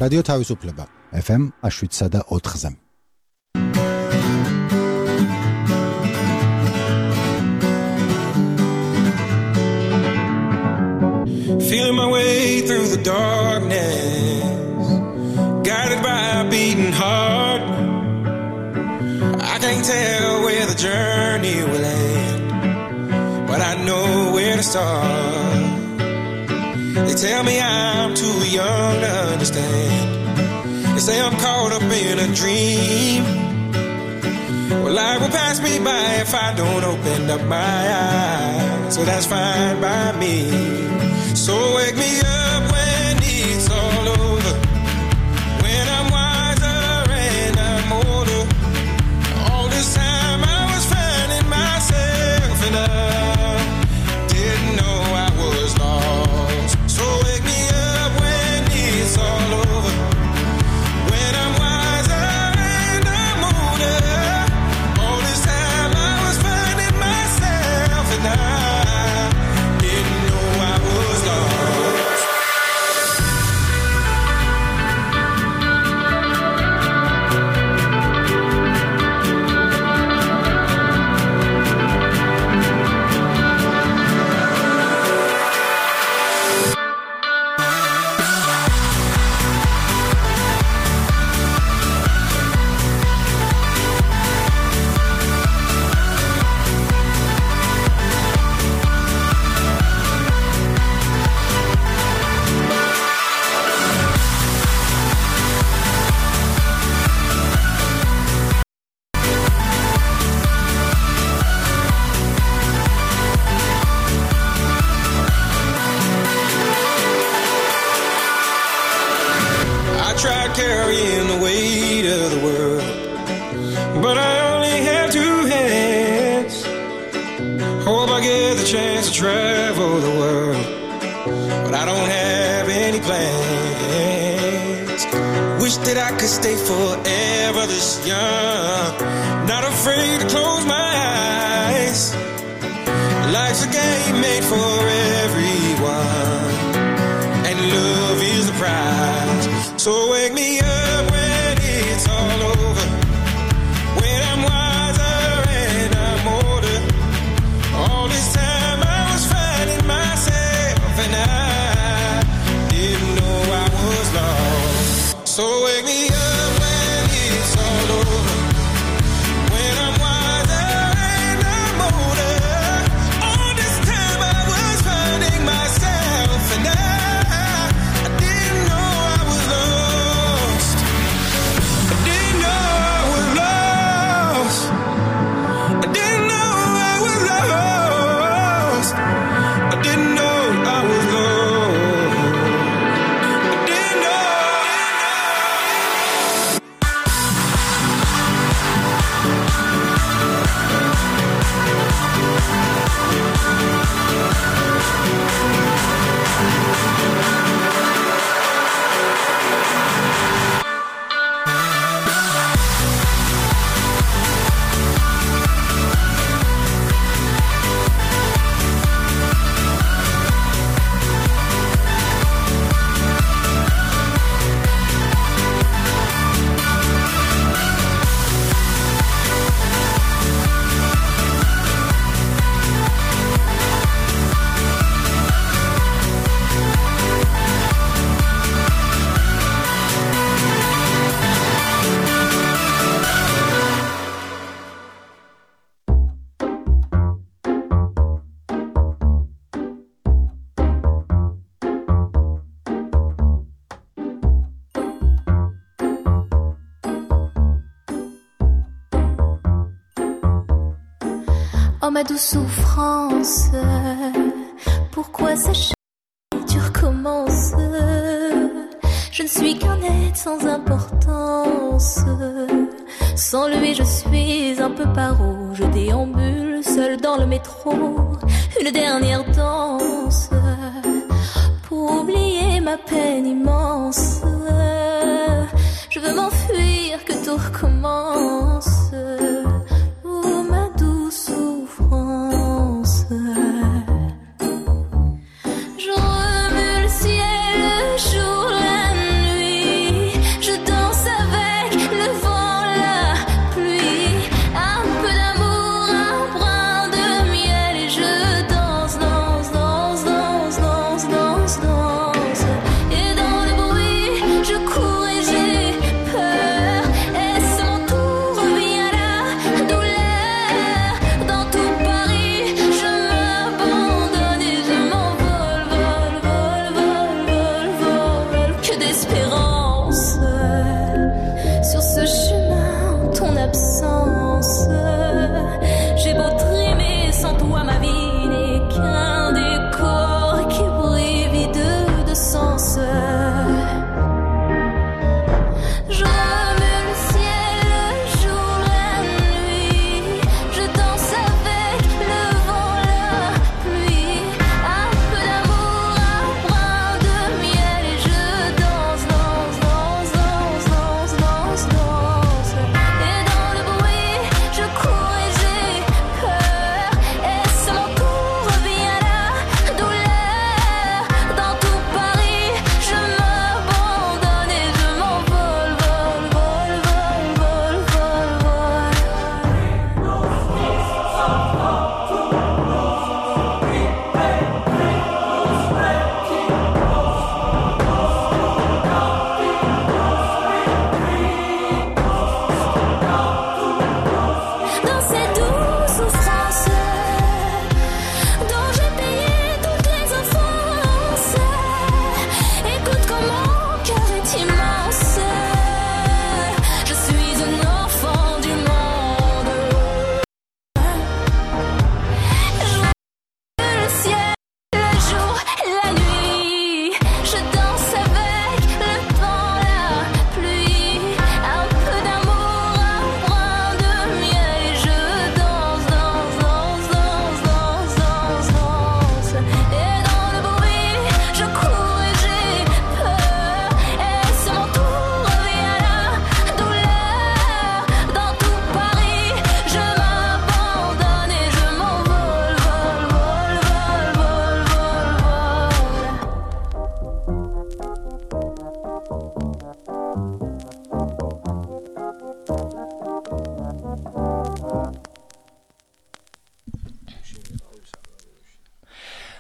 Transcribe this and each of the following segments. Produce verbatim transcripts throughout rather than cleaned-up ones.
რადიო თავისუფლება ეფ ემ შვიდსა და ოთხზე. Feeling my way through the darkness, guided by a beating heart. I can't tell where the journey will end, but I know where to start. They tell me I'm too young to understand. They say I'm caught up in a dream. Well, life will pass me by if I don't open up my eyes, so that's fine by me. So wake me up when it's all over, when I'm wiser and I'm older. All this time I was finding myself and I didn't know I was lost. So wake me up when it's all over, when I'm wiser and I'm older. All this time I was finding myself and I carrying the weight of the world, but I only have two hands. Hope I get the chance to travel the world, but I don't have any plans. Wish that I could stay forever this young, not afraid to close my eyes. Life's a game made for everyone, and love is the prize. So wake me up when it's all over, when I'm wiser and I'm older. All this time I was finding myself and I didn't know I was lost. So wake me up when it's all over, when I'm wiser and I'm older. All this time I was finding myself and I Oh ma douce souffrance, pourquoi s'acharner, tu recommences. Je ne suis qu'un être sans importance. Sans lui je suis un peu paro. Je déambule seul dans le métro. Une dernière danse pour oublier ma peine immense. Je veux m'enfuir, que tout recommence. Je remue le ciel, le jour, la nuit.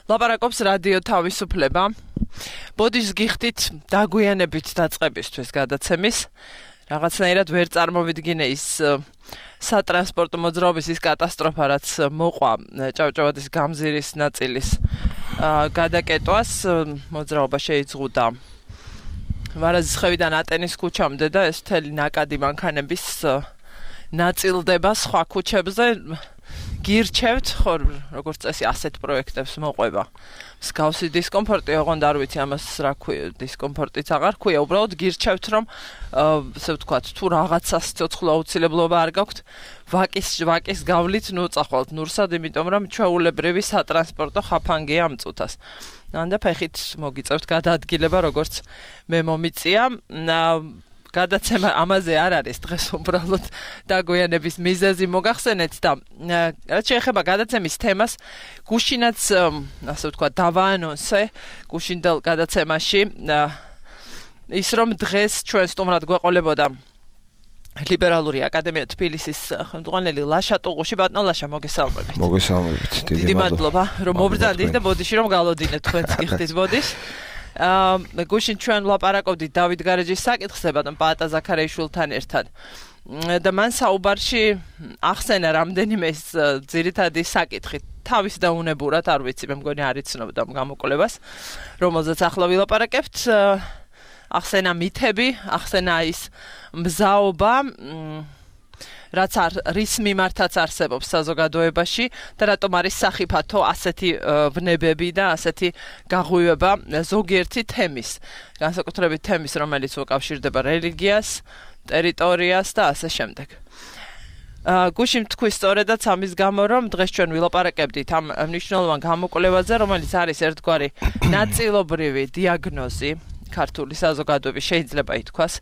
ლაპარაკობს რადიო თავისუფლება. ბოდიშს გიხდით დაგვიანებით დაწყებისთვის გადაცემის. რაღაცნაირად ვერ წარმოვიდგინე ის სატრანსპორტო მოძრაობის ის კატასტროფა, რაც მოყვა ჭავჭავაძის გამზირის ნაწილის გადაკეტვას. მოძრაობა შეიძღუდა ვარაზისხევიდან ატენის ქუჩამდე და ეს მთელი ნაკადი მანქანების ნაწილდება სხვა ქუჩებზე. გირჩევთ, ხო, როგორც წესი ასეთ პროექტებს მოყვება. მსგავსი დისკომფორტი, ოღონდ არ ვიცი ამას რა ქვია, დისკომფორტიც აღარ ქვია, უბრალოდ გირჩევთ, რომ ასე ვთქვათ, თუ რაღაცას ცოცხლ აუცილებლობა არ გაქვთ, ვაკის ვაკის გავლით ნუ წახვალთ ნურსად, იმიტომ რომ ჩვეულებრივი სატრანსპორტო ხაფანგია ამ წუთას. და ფეხით მოგიწევთ გადაადგილება, როგორც მე მომიწია. გადაცემა ამაზე არ არის დღეს უბრალოდ დაგვიანების მიზეზი მოგახსენეთ და რაც შეეხება გადაცემის თემას, გუშინაც ასე ვთქვათ დავაანონსე გუშინდელ გადაცემაში ის რომ დღეს ჩვენ სტუმრად გვეყოლებოდა ლიბერალური აკადემია თბილისის ხელმძღვანელი ლაშა ტუღუში. ბატონო ლაშა, მოგესალმებით. მოგესალმებით. დიდი მადლობა რომ მობრძანდით და ბოდიში რომ გალოდინეთ თქვენც გიხდით ბოდიშს. აა გუშინ ჩვენ ვლაპარაკობდით დავით გარეჯის საკითხზე ბატონ პაატა ზაქარიაშვილთან ერთად. და მან საუბარში ახსენა რამდენიმე ის ძირითადი საკითხი. თავის დაუნებურად, არ ვიცი, მე მგონი არ იცნობდა გამოკვლევას, რომელზეც ახლა ვილაპარაკებთ. ახსენა მითები, ახსენა ის მზაობა, რაც არ რის მიმართაც არსებობს საზოგადოებაში და რატომ არის სახიფათო ასეთი ვნებები და ასეთი გაღვივება ზოგიერთი თემის, განსაკუთრებით თემის, რომელიც უკავშირდება რელიგიას, ტერიტორიას და ასე შემდეგ. გუშინ თქვი სწორედაც ამის გამო, რომ დღეს ჩვენ ვილაპარაკებდით ამ მნიშვნელოვან გამოკვლევაზე, რომელიც არის ერთგვარი ნაწილობრივი დიაგნოზი ქართული საზოგადოების შეიძლება ითქვას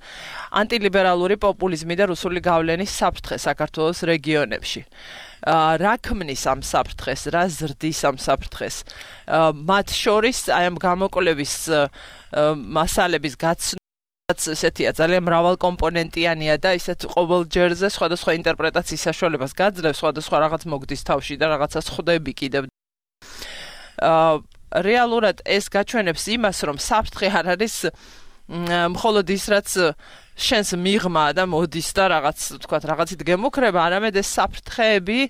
ანტილიბერალური პოპულიზმი და რუსული გავლენის საფრთხე საქართველოს რეგიონებში. რა ქმნის ამ საფრთხეს, რა ზრდის ამ საფრთხეს? მათ შორის აი ამ გამოკვლევის მასალების გაცნობა ესეთია, ძალიან მრავალკომპონენტიანია და ისეთ ყოველ ჯერზე სხვადასხვა ინტერპრეტაციის საშუალებას გაძლევს, სხვადასხვა რაღაც მოგდის თავში და რაღაცას ხვდები კიდევ. რეალურად ეს გაჩვენებს იმას, რომ საფრთხე არ არის მხოლოდ ის, რაც შენს მიღმა და მოდის და რაღაც, ვთქვათ, რაღაცით გემუქრება, არამედ ეს საფრთხეები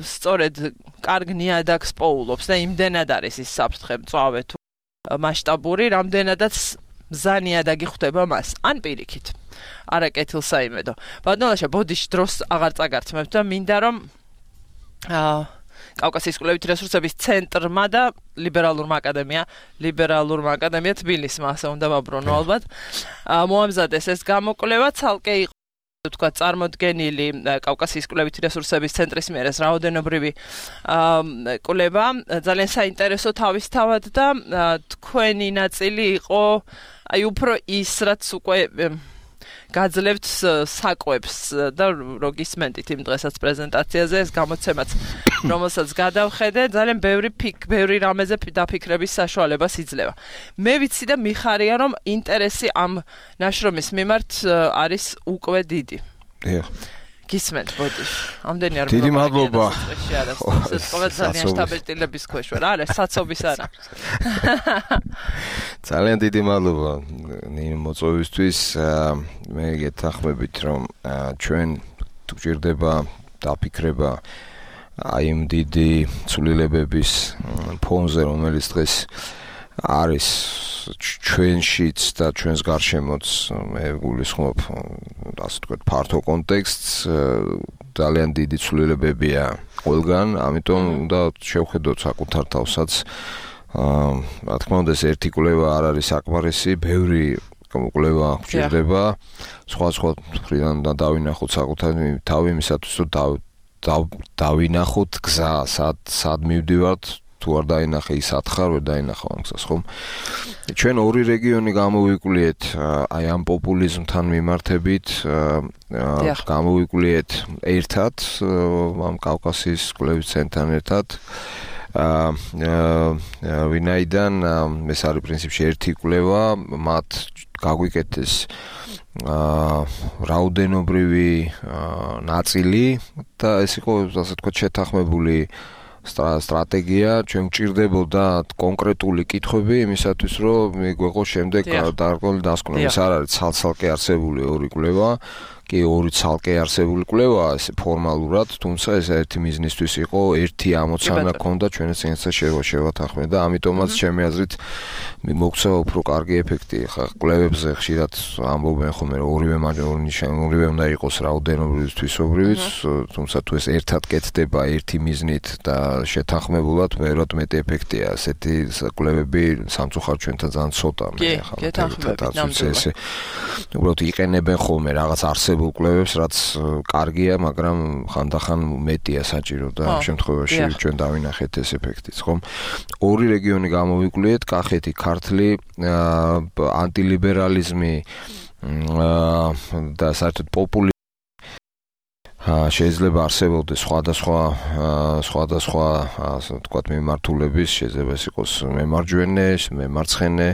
სწორედ კარგ ნიადაგს პოულობს და იმდენად არის ის საფრთხე მწვავე თუ მასშტაბური, რამდენადაც მზანიადაგი ხვდება მას. ან პირიქით. არა კეთილსაიმედო. ბატონოშა, ბოდიში დროს აღარ წაგართმევთ და მინდა რომ აა კავკასიის კვლევითი რესურსების ცენტრმა და ლიბერალურმა აკადემია, ლიბერალურმა აკადემია თბილისმა, ასე უნდა ვაბრუნო ალბათ. მოამზადეს ეს გამოკვლევა, ცალკე იყო თქვა წარმოდგენილი კავკასიის კვლევითი რესურსების ცენტრის მიერ ეს რაოდენობრივი კვლევა, ძალიან საინტერესო თავისთავად და თქვენი ნაწილი იყო აი უფრო ის, რაც უკვე გაძლევთ საკვებს და როგისმენდით იმ დღესაც პრეზენტაციაზე ეს გამოცემაც რომელსაც გადავხედე ძალიან ბევრი ფიქ ბევრი რამეზე დაფიქრების საშუალებას იძლევა. მე ვიცი და მიხარია რომ ინტერესი ამ ნაშრომის მიმართ არის უკვე დიდი. დიახ. გისმენთ ბოდიში. ამდენი არ დიდი მადლობა. ძალიან შტაბილტილების ქვეშ ვარ. არა, საცობის არა. ძალიან დიდი მადლობა ნინო მოწვევისთვის. მე გეთანხმებით რომ ჩვენ თუ გჭირდება დაფიქრება აი იმ დიდი ცვლილებების ფონზე, რომელიც დღეს არის ჩვენშიც და ჩვენს გარშემოც, მე გულისხმობ ასე ვთქვათ ფართო კონტექსტს, ძალიან დიდი ცვლილებებია ყველგან, ამიტომ უნდა შევხედოთ საკუთარ თავსაც. რა თქმა უნდა, ეს ერთი კვლევა არ არის საკმარისი, ბევრი კვლევა გვჭირდება, სხვა სხვა მხრიდან და დავინახოთ საკუთარ თავი იმისათვის, რომ დავინახოთ გზა, სად სად მივდივართ, თუ არ დაინახე ის ათხარ, ვერ დაინახავ ამ გზას, ხომ? ჩვენ ორი რეგიონი გამოვიკვლიეთ აი ამ პოპულიზმთან მიმართებით, გამოვიკვლიეთ ერთად, ამ კავკასიის კვლევის ცენტრთან ერთად. ვინაიდან ეს არის პრინციპში ერთი კვლევა, მათ გაგვიკეთეს რაოდენობრივი ნაწილი და ეს იყო, ასე ვთქვათ, შეთანხმებული სტრატეგია, ჩვენ გვჭირდებოდა კონკრეტული კითხვები იმისათვის, რომ მიგვეღო შემდეგ დარგული დასკვნა. ეს არ არის ცალ-ცალკე არსებული ორი კვლევა. კი ორი ცალკე არსებული კვლევა ეს ფორმალურად, თუმცა ეს ერთი მიზნისთვის იყო, ერთი ამოცანა ჰქონდა ჩვენს წინასწარ შევათანხმდეთ და ამიტომაც ჩემი აზრით მოგცა უფრო კარგი ეფექტი. ხა კვლევებზე ხშირად ამბობენ ხოლმე რომ ორივე ორივე უნდა იყოს რაოდენობრივ თვისობრივიც, თუმცა თუ ეს ერთად კეთდება ერთი მიზნით და შეთანხმებულად მეურად მეტი ეფექტია. ასეთი კვლევები სამწუხაროდ ჩვენთან ძალიან ცოტა მე ხა ეს უბრალოდ იყენებენ ხოლმე რაღაც არს კვლევებს, რაც კარგია, მაგრამ ხანდახან მეტია საჭირო და ამ შემთხვევაში ჩვენ დავინახეთ ეს ეფექტიც, ხომ? ორი რეგიონი გამოვიკვლიეთ, კახეთი, ქართლი, ანტილიბერალიზმი და საერთოდ პოპულიზმი შეიძლება არსებობდეს სხვადასხვა სხვადასხვა ასე ვთქვათ მიმართულების, შეიძლება ეს იყოს მემარჯვენე, მემარცხენე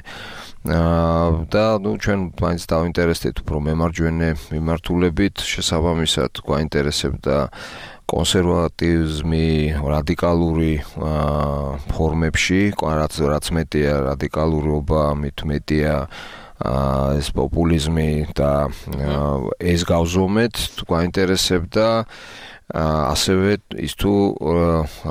და ნუ ჩვენ მაინც დავინტერესდით უფრო მემარჯვენე მიმართულებით, შესაბამისად გვაინტერესებდა კონსერვატიზმი რადიკალური ფორმებში, რაც რაც მეტია რადიკალურობა, მით მეტია ეს პოპულიზმი და ეს გავზომეთ, გვაინტერესებდა ასევე ის თუ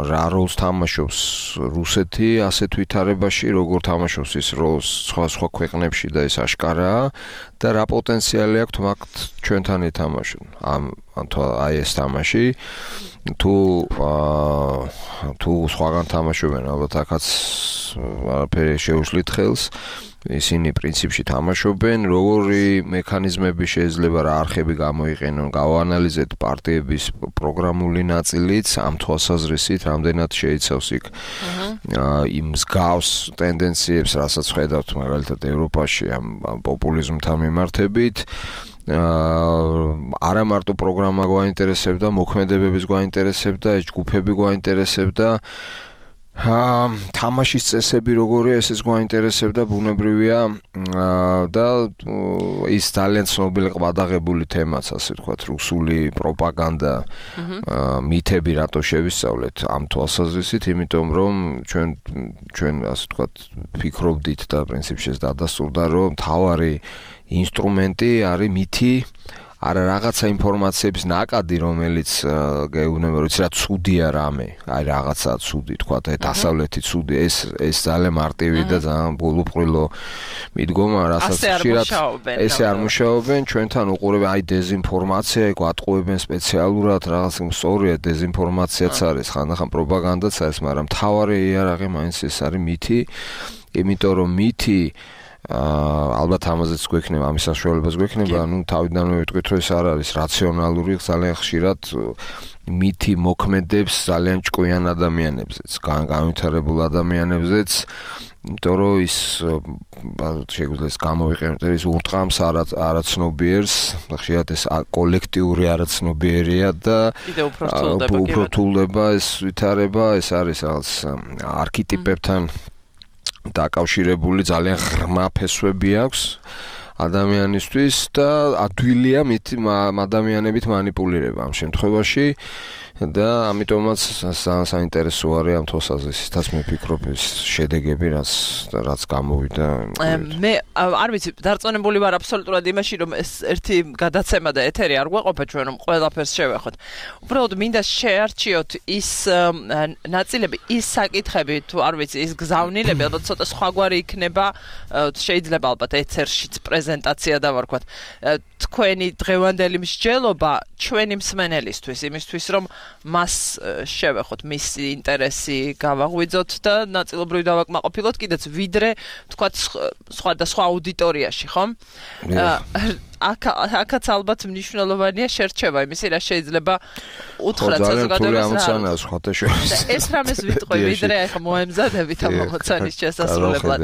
რა როლს თამაშობს რუსეთი ასეთ ვითარებაში, როგორ თამაშობს ის როლს სხვა სხვა ქვეყნებში და ეს აშკარაა და რა პოტენციალი აქვს მაგ ჩვენთან ითამაშონ ამ აი ეს თამაში თუ თუ სხვაგან თამაშობენ ალბათ აქაც არაფერი შეუშლით ხელს ისინი პრინციპში თამაშობენ, როგორი მექანიზმები შეიძლება რა არხები გამოიყენონ, გავანალიზეთ პარტიების პროგრამული ნაწილიც, ამ თვალსაზრისით რამდენად შეიცავს იქ იმ მსგავს ტენდენციებს, რასაც ხედავთ მაგალითად ევროპაში ამ პოპულიზმთან მიმართებით. არა მარტო პროგრამა გვაინტერესებდა, მოქმედებებიც გვაინტერესებდა, ეს ჯგუფები გვაინტერესებდა. თამაშის წესები როგორია, ესეც გვაინტერესებდა, ბუნებრივია და ის ძალიან ცნობილი ყვადაღებული თემაც, ასე ვთქვათ, რუსული პროპაგანდა, მითები რატო შევისწავლეთ ამ თვალსაზრისით, იმიტომ რომ ჩვენ ჩვენ ასე ვთქვათ, ფიქრობდით და პრინციპში ეს დადასტურდა, რომ მთავარი ინსტრუმენტი არის მითი არა რაღაცა ინფორმაციების ნაკადი, რომელიც გეუბნება, რომ იცი რა ცუდია რამე, აი რაღაცა ცუდი, თქვა და დასავლეთი ცუდი, ეს ეს ძალიან მარტივი და ძალიან ბოლუპყრილო მიდგომა, რასაც ხშირად ესე არ მუშაობენ, ჩვენთან უყურებენ აი დეზინფორმაცია, გვატყუებენ სპეციალურად, რაღაც სწორია დეზინფორმაციაც არის, ხანდახან პროპაგანდაც არის, მაგრამ მთავარი იარაღი მაინც ეს არის მითი, იმიტომ რომ მითი ალბათ ამაზეც გვექნება, ამის საშუალებას გვექნება, ну თავიდანვე ვიტყვით, რომ ეს არ არის რაციონალური, ძალიან ხშირად მითი მოქმედებს ძალიან ჭკვიან ადამიანებზეც, განვითარებულ ადამიანებზეც, იმიტომ რომ ის შეგვიძლია გამოვიყენოთ ის ურტყამს არაცნობიერს, ხშირად ეს კოლექტიური არაცნობიერია და უფრო რთულდება ეს ვითარება, ეს არის რაღაც არქეტიპებთან დაკავშირებული ძალიან ღრმა ფესვები აქვს ადამიანისთვის და ადვილია მით ადამიანებით манипуლირება ამ შემთხვევაში და ამიტომაც საინტერესო არის ამ თვალსაზრისითაც მე ვფიქრობ ეს შედეგები რაც რაც გამოვიდა მე არ ვიცი დარწმუნებული ვარ აბსოლუტურად იმაში რომ ეს ერთი გადაცემა და ეთერი არ გვეყოფა ჩვენ რომ ყველაფერს შევეხოთ უბრალოდ მინდა შეარჩიოთ ის ნაწილები ის საკითხები თუ არ ვიცი ის გზავნილები ალბათ ცოტა სხვაგვარი იქნება შეიძლება ალბათ ეთერშიც პრეზენტაცია დავარქვათ თქვენი დღევანდელი მსჯელობა ჩვენი მსმენელისთვის იმისთვის რომ მას შევეხოთ მისი ინტერესი გავაღვიძოთ და ნაწილობრივ დავაკმაყოფილოთ კიდეც ვიდრე თქვათ სხვა და სხვა აუდიტორიაში ხომ აქაც ალბათ მნიშვნელოვანია შერჩევა იმისი რა შეიძლება უთხრათ საზოგადოებას ეს რამეს ვიტყვი ვიდრე ახლა მოემზადებით ამ ამოცანის შესასრულებლად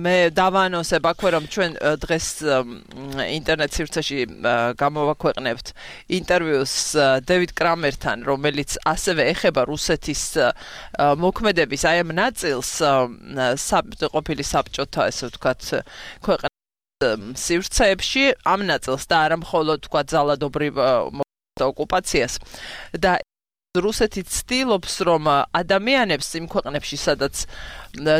მე დავანონსებ აქვე რომ ჩვენ დღეს ინტერნეტ სივრცეში გამოვაქვეყნებთ ინტერვიუს დევიდ კრამერთან რომელიც ასევე ეხება რუსეთის მოქმედების აი ამ ნაწილს ყოფილი საბჭოთა ესე ვთქვათ ქვეყნ სივრცეებში ამ ნაწილს და არა მხოლოდ თქვა ძალადობრივ ოკუპაციას და რუსეთი ცდილობს რომ ადამიანებს იმ ქვეყნებში სადაც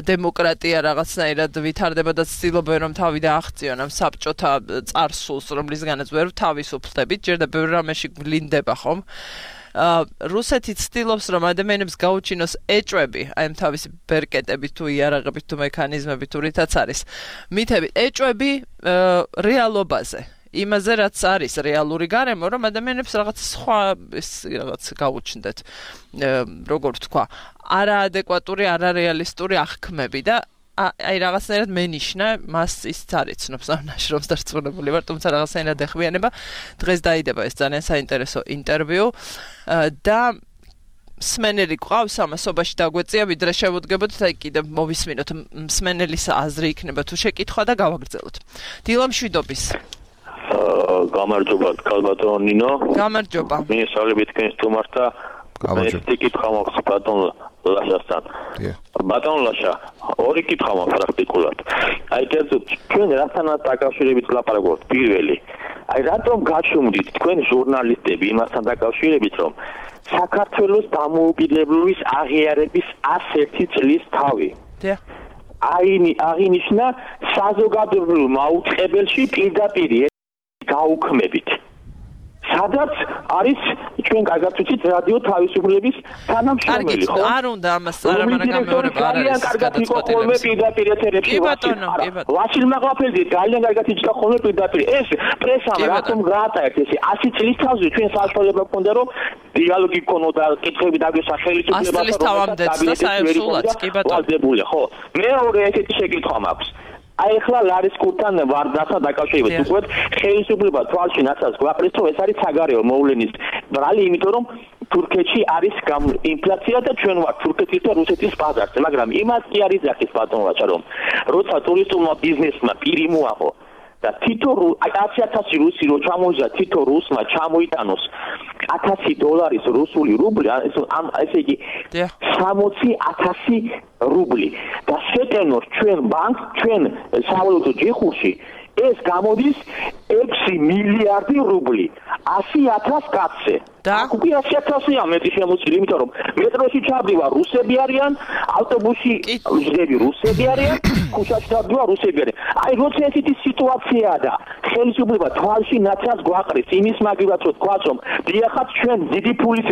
დემოკრატია რაღაცნაირად ვითარდება და ცდილობენ რომ თავი დააღწიონ ამ საბჭოთა წარსულს რომლისგანაც ვერ თავისუფლდებით ჯერ და ბევრ რამეში გვლინდება ხომ რუსეთი ცდილობს რომ ადამიანებს გაუჩინოს ეჭვები აი ამ თავისი ბერკეტებით თუ იარაღებით თუ მექანიზმებით თუ რითაც არის მითები ეჭვები რეალობაზე იმაზე რაც არის რეალური გარემო რომ ადამიანებს რაღაც სხვა რაღაც გაუჩნდეთ როგორ ვთქვა არაადეკვატური არარეალისტური აღქმები და აი რაღაცნაირად მენიშნა მას ისიც არიცნობს ამ ნაშრომს დარწმუნებული ვარ თუმცა რაღაცნაირად ეხმიანება დღეს დაიდება ეს ძალიან საინტერესო ინტერვიუ და მსმენელი ყავს ამასობაში დაგვეწია ვიდრე შევუდგებოთ და კიდევ მოვისმინოთ მსმენელის აზრი იქნება თუ შეკითხვა და გავაგრძელოთ დილა მშვიდობის გამარჯობა კალბატონ ნინო გამარჯობა მინისტრალებით თქვენს თუმართა გამარჯობა ეს კითხვა მაქვს ბატონ ლაშასთან ბატონ ლაშა ორი კითხვა მაქვს პრაქტიკულად აი კერძოდ ჩვენ რასთანაც დაკავშირებით ლაპარაკობთ პირველი აი რატომ გაჩვენდით თქვენ ჟურნალისტები იმასთან დაკავშირებით რომ საქართველოს დამოუკიდებლობის აღიარების ასეთი წლის თავი აი აღინიშნა საზოგადოებრივ მაუწყებელში პირდაპირ გაუქმებით სადაც არის ჩვენ კარგად ვიცით რადიო თავისუფლების თანამშრომელი ხო? არ უნდა ამას არა მაგრამ მეორე არ არის კარგად იყო ხოლმე პირდაპირ ეთერებში ვასილ მაყაფელძე ძალიან კარგად იჭდა ხოლმე პირდაპირ ეს პრესამ რატომ გაატარეთ ესე ასი წლის თავზე ჩვენ საშუალება გქონდა რომ დიალოგი გქონოდა კითხები დაგვესა ხელისუფლებასთან და საერთოდ კი ბატონო ხო მეორე ესეთი შეკითხვა მაქვს აი ახლა ლარის კურთან ვარდასთან დაკავშირებით უბრალოდ ხელისუფლება თვალში ნაცავს გვაყრის რომ ეს არის საგარეო მოვლენის ბრალი იმიტომ რომ თურქეთში არის ინფლაცია და ჩვენ ვართ თურქეთის და რუსეთის ბაზარზე მაგრამ იმას კი არის ახის ბატონო რომ როცა ტურისტულმა ბიზნესმა პირი მოაღო და თითო ათი ათასი რუსი რო ჩამოიძა თითო რუსმა ჩამოიტანოს ათასი დოლარის რუსული რუბლი ამ ესე იგი სამოცი ათასი რუბლი და შეტენოს ჩვენ ბანკ ჩვენ სავალუტო ჯიხურში ეს გამოდის ექვსი მილიარდი რუბლი ასი ათას კაცზე და უკვე ასი ათასია მეტი შემოცილი იმიტომ რომ მეტროში ჩავდივა რუსები არიან ავტობუსში ვждები რუსები არიან ქუჩაში ჩავდივა რუსები არიან აი როცა ესეთი სიტუაციაა და ხელისუფლება თვალში ნაცავს გვაყრის იმის მაგივრად რომ თქვა რომ დიახაც ჩვენ დიდი ფულის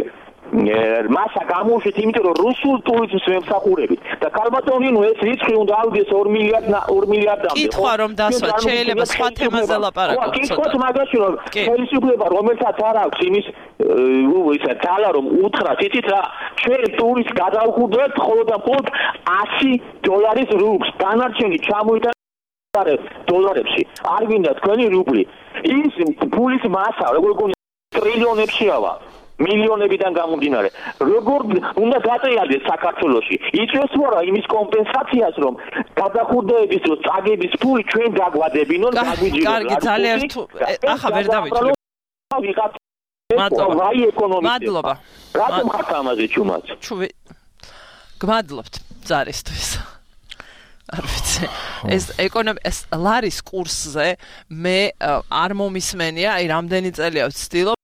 მასა გამოუშვით იმიტომ რომ რუსულ ტურიზმს ვემსახურებით და კალბატონინო ეს რიცხვი უნდა ავიდეს ორი მილიარდ ორი მილიარდამდე კითხვა რომ დასვა შეიძლება სხვა თემაზე ლაპარაკოთ კითხვა მაგაში რომ ხელისუფლება რომელსაც არ აქვს იმის ისა ძალა რომ უთხრა თითით რა ჩვენ ტურისტს გადავხურდეთ მხოლოდ და მხოლოდ ასი დოლარის რუბლს დანარჩენი ჩამოიტანეთ დოლარებში არ გინდა თქვენი რუბლი ის ფულის მასა როგორ გონი ტრილიონებშია მილიონებიდან გამომდინარე როგორ უნდა გატრიალდეს საქართველოში იწვევს რა იმის კომპენსაციას რომ გადახურდების დროს წაგების ფული ჩვენ დაგვადებინონ დაგვიჯეროს კარგი ძალიან თუ ახლა ვერ დავიწყებ მადლობა მადლობა რატომ ხართ ამაზე ჩუმად ჩუვი გმადლობთ ზარისთვის არ ვიცი ეს ეკონომი ეს ლარის კურსზე მე არ მომისმენია აი რამდენი წელია ვცდილობ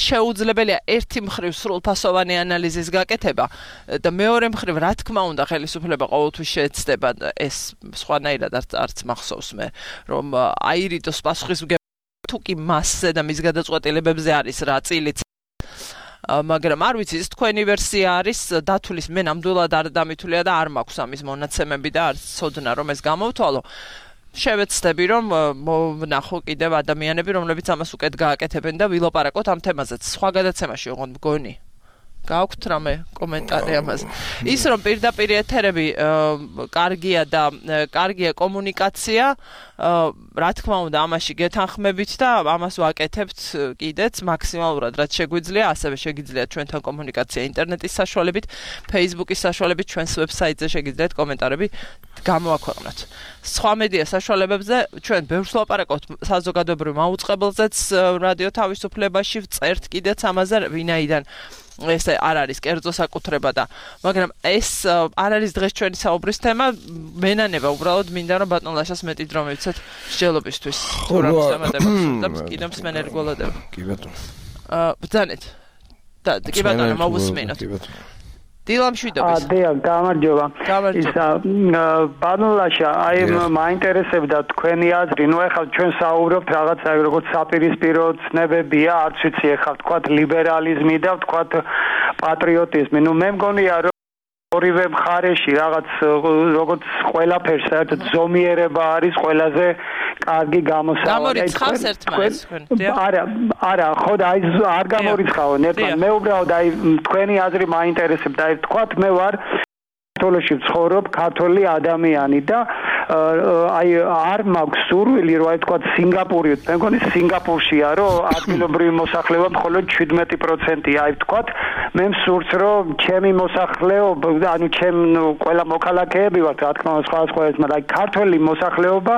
შეუძლებელია ერთი მხრივ სრულფასოვანი ანალიზის გაკეთება და მეორე მხრივ რა თქმა უნდა ხელისუფლება ყოველთვის შეეცდება ეს სხვანაირად არც მახსოვს მე რომ აირიდოს პასუხისმგებლობა თუ კი მასზე და მის გადაწყვეტილებებზე არის რა წილიც მაგრამ არ ვიცი ეს თქვენი ვერსია არის დათulis მე ნამდვილად არ დამითვლია და არ მაქვს ამის მონაცემები და არც ცოდნა რომ ეს გამოვთვალო შევეცდები რომ ვნახო კიდევ ადამიანები რომლებიც ამას უკეთ გააკეთებენ და ვილაპარაკოთ ამ თემაზეც სხვა გადაცემაში ოღონდ მგონი გააქვთ რამე კომენტარი ამაზე ის რომ პირდაპირ ეთერები კარგია და კარგია კომუნიკაცია რა თქმა უნდა ამაში გეთანხმებით და ამას ვაკეთებთ კიდეც მაქსიმალურად რაც შეგვიძლია ასევე შეგიძლიათ ჩვენთან კომუნიკაცია ინტერნეტის საშუალებით Facebook-ის საშუალებით ჩვენს ვებსაიტზე შეგიძლიათ კომენტარები გამოაქვეყნოთ სხვა მედია საშუალებებზე ჩვენ ბევრს ვლაპარაკობთ საზოგადოებრივ მაუწყებელზეც რადიო თავისუფლებაში ვწერთ კიდეც ამაზე ვინაიდან ესე არ არის კერძო საკუთრება და მაგრამ ეს არ არის დღეს ჩვენი საუბრის თემა მენანება უბრალოდ მინდა რომ ბატონ ლაშას მეტი დრო მივცეთ მსჯელობისთვის თუ რა მოსამართებებს და კიდევ მსმენელი გველოდება კი ბატონო აა ბძანეთ და კი ბატონო მოვუსმინოთ დილამ შვიდობის. დიახ, გამარჯობა. ისა ბანულაშა, აი მაინტერესებდა თქვენი აზრი, ნუ ეხლა ჩვენ საუბრობთ რაღაცა როგორც საპირისპირო ცნებებია, არც ვიცი ეხლა თქვათ ლიბერალიზმი და თქვათ პატრიოტიზმი. ნუ მე მგონია რომ ორივე მხარეში რაღაც როგორც ყველაფერს საერთოდ ზომიერება არის ყველაზე კარგი გამოსავალი. გამორიცხავს ერთმანეთს თქვენ. არა, არა, ხო და აი არ გამორიცხავენ ერთმანეთს. მე უბრალოდ აი თქვენი აზრი მაინტერესებდა. აი თქვათ მე ვარ საქართველოში ვცხოვრობ, ქართველი ადამიანი და აი არ მაქვს სურვილი რომ აი თქვათ სინგაპური, მე მგონი სინგაპურშია რომ ადგილობრივი მოსახლეობა მხოლოდ შვიდმეტი პროცენტია. აი თქვათ მე მსურს რომ ჩემი მოსახლეობა, ანუ ჩემ ყველა მოქალაქეები ვართ, რა თქმა უნდა, სხვა სხვა ეს, მაგრამ აი ქართველი მოსახლეობა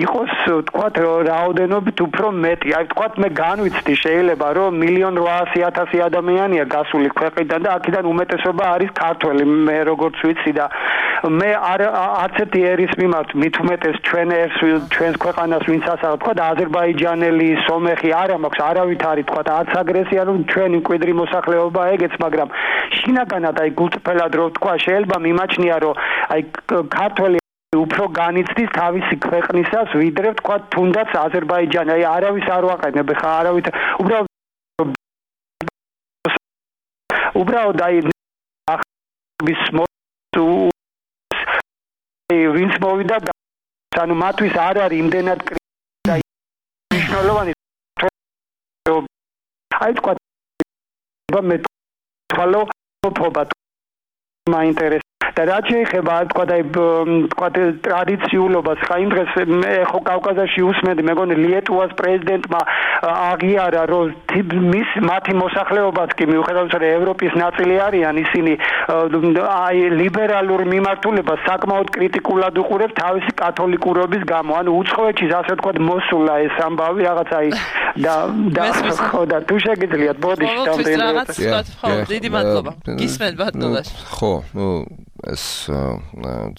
იყოს თქვათ რაოდენობით უფრო მეტი. აი თქვათ მე განვიცდი შეიძლება რომ მილიონ რვაასი ათასი ადამიანია გასული ქვეყნიდან და აქედან უმეტესობა არის ქართველი. მე როგორც ვიცი და მე არ არც ერთი ერის მიმართ მით უმეტეს ჩვენ ერს ჩვენს ქვეყანას ვინც ასახავ თქვათ აზერბაიჯანელი, სომეხი არა მაქვს არავით არის თქვათ არც აგრესია რომ ჩვენი მკვიდრი მოსახლეობა ეგეც, მაგრამ შინაგანად აი გულწრფელად რო თქვა შეიძლება მიმაჩნია რომ აი ქართველი უფრო განიცდის თავისი ქვეყნისას ვიდრე თქვა თუნდაც აზერბაიჯანი. აი არავის არ ვაყენებ ხა არავით უბრალოდ უბრალოდ აი ვინც მოვიდა ანუ მათთვის არ არის იმდენად კრიტიკა მნიშვნელოვანი აი თქვა მე თვალო ფობა მაინტერესებს და რაც შეეხება თქვა და თქვა ტრადიციულობას ხა იმ დღეს მე ხო კავკასიაში usmedi მეგონი ლიეტუვას პრეზიდენტმა აღიარა რომ მის მათი მოსახლეობაც კი მიუხედავად რომ ევროპის ნაწილი არიან ისინი აი ლიბერალურ მიმართულებას საკმაოდ კრიტიკულად უყურებს თავისი კათოლიკურობის გამო. ანუ უცხოეთში ასე თქვა მოსულა ეს ამბავი რაღაც აი და და ხო და თუ შეგიძლიათ ბოდი შევდეთ ხო დიდი მადლობა გისმენთ ბატონო. ხო ნუ ეს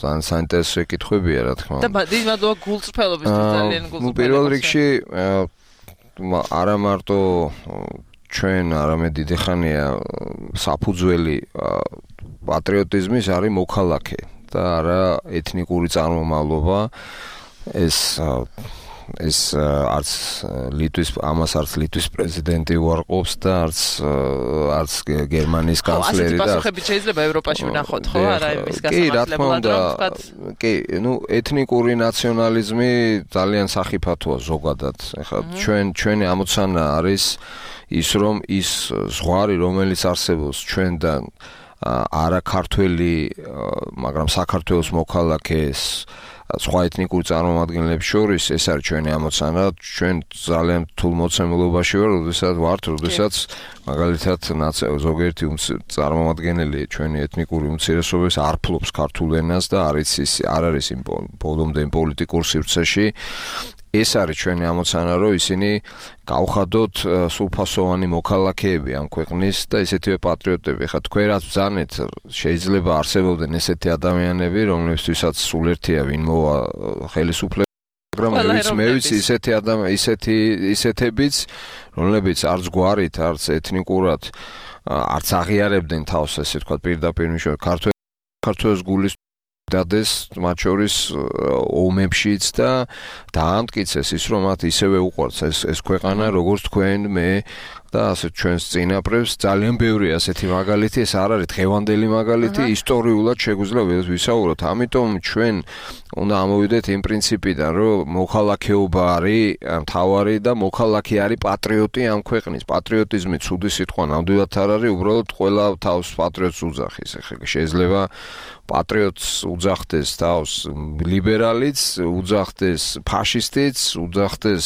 ძალიან საინტერესო კითხვებია რა თქმა უნდა. და დიდი მადლობა გულწრფელობისთვის ძალიან გულწრფელი. ნუ პირველ რიგში არა მარტო ჩვენ არამედ დიდი ხანია საფუძველი პატრიოტიზმის არის მოქალაქე და არა ეთნიკური წარმომავლობა. ეს ეს არც ლიტვის ამას არც ლიტვის პრეზიდენტი უარყოფს და არც არც გერმანიის კანცლერი და პასუხები შეიძლება ევროპაში ვნახოთ ხო არა იმის გასამართლებლად რომ ვთქვათ კი ნუ ეთნიკური ნაციონალიზმი ძალიან სახიფათოა ზოგადად. ეხლა ჩვენ ჩვენი ამოცანა არის ის რომ ის ზღვარი რომელიც არსებობს ჩვენთან არა ქართველი მაგრამ საქართველოს მოქალაქეს სხვა ეთნიკურ წარმომადგენლებს შორის ეს არის ჩვენი ამოცანა. ჩვენ ძალიან რთულ მოცემულობაში ვარ, როდესაც ვართ, როდესაც მაგალითად ზოგიერთი წარმომადგენელი ჩვენი ეთნიკური უმცირესობების არ ფლობს ქართულ ენას და არ იცის არ არის იმ ბოლომდე პოლიტიკურ სივრცეში. ეს არის ჩვენი ამოცანა, რომ ისინი გავხადოთ სრულფასოვანი მოქალაქეები ამ ქვეყნის და ესეთივე პატრიოტები. ხა თქვენ რაც ბრძანეთ, შეიძლება არსებობდნენ ესეთი ადამიანები, რომლებთვისაც სულ ერთია ვინ მოვა ხელისუფლებას, მაგრამ მე ვიცი ისეთი ადამიანი, ისეთი ისეთებიც, რომლებიც არც გვარით, არც ეთნიკურად არც აღიარებდნენ თავს, ესე ვთქვათ, პირდაპირ მიშო ქართველის გულის დადეს მათ შორის ომებშიც და დაამტკიცეს ის რომ მათ ისევე უყვართ ეს ეს ქვეყანა როგორც თქვენ მე და ასე ჩვენს წინაპრებს. ძალიან ბევრი ასეთი მაგალითი, ეს არ არის დღევანდელი მაგალითი, ისტორიულად შეგვიძლია ვისაუბროთ. ამიტომ ჩვენ უნდა ამოვიდეთ იმ პრინციპიდან, რომ მოქალაქეობა არის მთავარი და მოქალაქე არის პატრიოტი ამ ქვეყნის. პატრიოტიზმი ცუდი სიტყვა ნამდვილად არ არის, უბრალოდ ყველა თავს პატრიოტს უძახის. ეხლა შეიძლება პატრიოტს უძახდეს თავს ლიბერალიც, უძახდეს ფაშისტიც, უძახდეს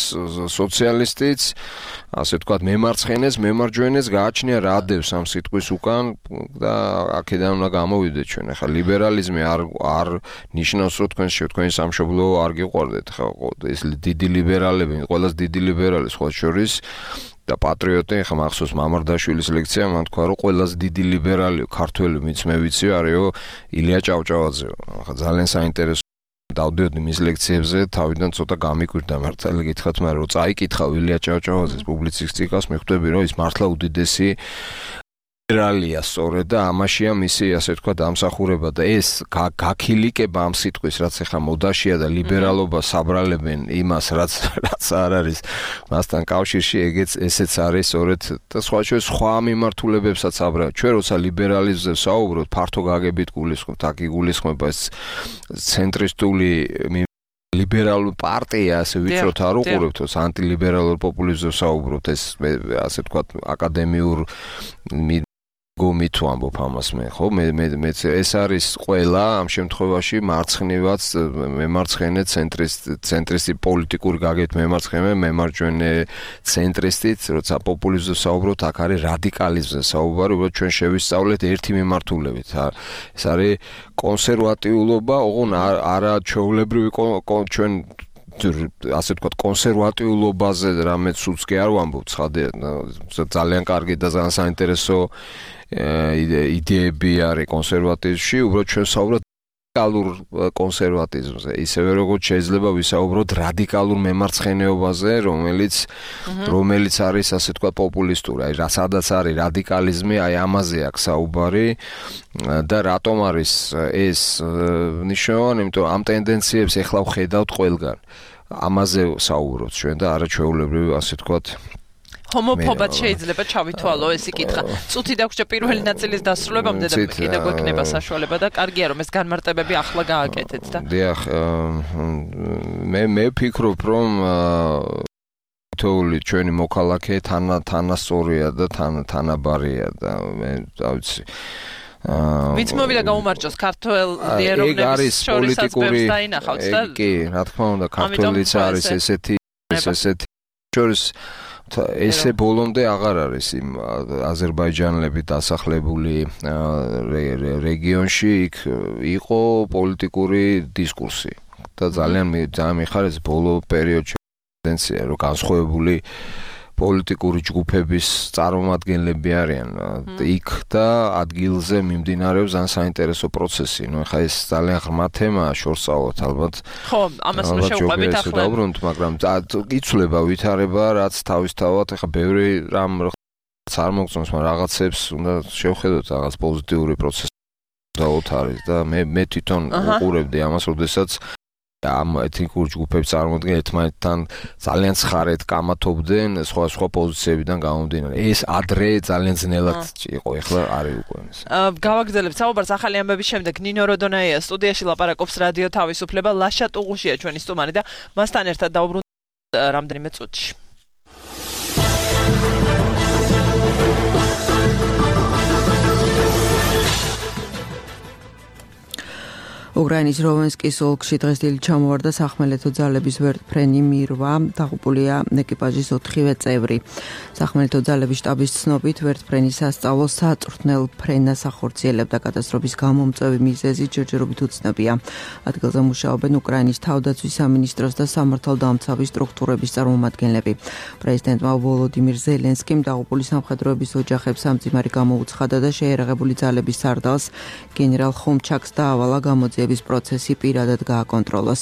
სოციალისტიც, ასე ვთქვათ, მემარცხენეს, მემარჯვენეს გააჩნია რა დევს ამ სიტყვის უკან და აქედან უნდა გამოვიდეთ ჩვენ. ახლა ლიბერალიზმი არ არ ნიშნავს, რომ თქვენ თქვენი სამშობლო არ გიყვარდეთ. ხა ეს დიდი ლიბერალები, ყველაზე დიდი ლიბერალი სხვა შორის და პატრიოტი, ხა მახსოვს მამარდაშვილის ლექცია, მან თქვა, რომ ყველაზე დიდი ლიბერალი ქართველი, ვინც მე ვიცი, არისო ილია ჭავჭავაძე. ხა ძალიან საინტერესო დავდიოდი მის ლექციებზე, თავიდან ცოტა გამიკვირდა მართალი გითხრათ, მაგრამ რო წაიკითხა ილია ჭავჭავაძის პუბლიცისტიკას, მიხვდები რომ ის მართლა უდიდესი ლიბერალია სწორედ და ამაშია მისი ასე თქვა დამსახურება და ეს გაქილიკება ამ სიტყვის რაც ახლა მოდაშია და ლიბერალობა საბრალებენ იმას რაც რაც არ არის მასთან კავშირში ეგეც ესეც არის სწორედ და სხვა ჩვენ სხვა მიმართულებებსაც აბრალ ჩვენ როცა ლიბერალიზმზე საუბრობთ ფართო გაგებით გულისხმობთ აქ იგულისხმება ეს ცენტრისტული ლიბერალურ პარტია ასე ვიწროთ არ უყურებთ ეს ანტილიბერალურ პოპულიზმზე საუბრობთ ეს ასე თქვა აკადემიურ გომითო ამბობ ამას მე ხო მე მე ეს არის ყველა ამ შემთხვევაში მარცხნივაც მემარცხენე ცენტრისტ ცენტრისტი პოლიტიკური გაგეთ მემარცხენე მემარჯვენე ცენტრისტით როცა პოპულიზმზე საუბრობთ აქ არის რადიკალიზმზე საუბარი უბრალოდ ჩვენ შევისწავლეთ ერთი მიმართულებით ეს არის კონსერვატიულობა ოღონ არა ჩვეულებრივი ჩვენ ასე ვთქვათ კონსერვატიულობაზე რამე ცუც კი არ ვამბობ ცხადია ძალიან კარგი და ძალიან საინტერესო იდეები არის კონსერვატიზმში უბრალოდ ჩვენ საუბრობთ რადიკალურ კონსერვატიზმზე ისევე როგორც შეიძლება ვისაუბროთ რადიკალურ მემარცხენეობაზე რომელიც რომელიც არის ასე ვთქვათ პოპულისტური აი სადაც არის რადიკალიზმი აი ამაზე აქვს საუბარი და რატომ არის ეს ნიშნავენ იმიტომ ამ ტენდენციებს ეხლა ვხედავთ ყველგან ამაზე საუბრობთ ჩვენ და არაჩვეულებრივი ასე ვთქვათ ჰომოფობად შეიძლება ჩავითვალო ეს იკითხა. წუთი დაგვრჩა პირველი ნაწილის დასრულებამდე და კიდევ გვექნება საშუალება და კარგია რომ ეს განმარტებები ახლა გააკეთეთ და. დიახ, მე მე ვფიქრობ რომ თოული ჩვენი მოქალაქე თანა თანასწორია და თანაბარია და მე დავიცი ვიც მოვიდა გაუმარჯოს ქართველ ლიეროვნების შორისაც ბევრს დაინახავთ და კი, რა თქმა უნდა, ქართველიც არის ესეთი ესეთი შორის ესე ბოლომდე აღარ არის იმ აზერბაიჯანელები დასახლებული რეგიონში იქ იყო პოლიტიკური დისკურსი და ძალიან ძალიან მიხარეს ბოლო პერიოდში ტენდენცია რომ განსხვავებული პოლიტიკური ჯგუფების წარმომადგენლები არიან იქ და ადგილზე მიმდინარეობს ძალიან საინტერესო პროცესი. ნუ ეხლა ეს ძალიან ღრმა თემაა, შორსაუბრობთ ალბათ. ხო, ამას უნდა შევყვებით ახლა. დავბრუნდით, მაგრამ იცვლება ვითარება, რაც თავისთავად ეხლა ბევრი რამ არ მოგწონს, მაგრამ რაღაცებს უნდა შევხედოთ, რაღაც პოზიტიური პროცესი დაუთ არის და მე მე თვითონ უყურებდი ამას, როდესაც ამ ეთნიკურ ჯგუფებს წარმოადგენენ ერთმანეთთან ძალიან ცხარედ კამათობდნენ სხვა სხვა პოზიციებიდან გამომდინარე. ეს ადრე ძალიან ძნელად იყო, ეხლა არის უკვე ეს. გავაგრძელებთ საუბარს ახალი ამბების შემდეგ ნინო როდონაია სტუდიაში ლაპარაკობს რადიო თავისუფლება ლაშა ტუღუშია ჩვენი სტუმარი და მასთან ერთად დაუბრუნდით რამდენიმე წუთში. უკრაინის როვენსკის ოლქში დღეს დილით ჩამოვარდა სახმელეთო ძალების ვერტმფრენი მირვა, დაღუპულია ეკიპაჟის ოთხივე წევრი. სახმელეთო ძალების შტაბის ცნობით ვერტმფრენი სასწავლო საწვრთნელ ფრენას ახორციელებდა კატასტროფის გამომწვევი მიზეზი ჯერჯერობით უცნობია. ადგილზე მუშაობენ უკრაინის თავდაცვის სამინისტროს და სამართალდამცავი სტრუქტურების წარმომადგენლები. პრეზიდენტმა ვოლოდიმირ ზელენსკიმ დაღუპული სამხედროების ოჯახებს სამძიმარი გამოუცხადა და შეერაღებული ძალების სარდალს გენერალ ხომჩაკს დაავალა გამოძიების პროცესი პირადად გააკონტროლოს.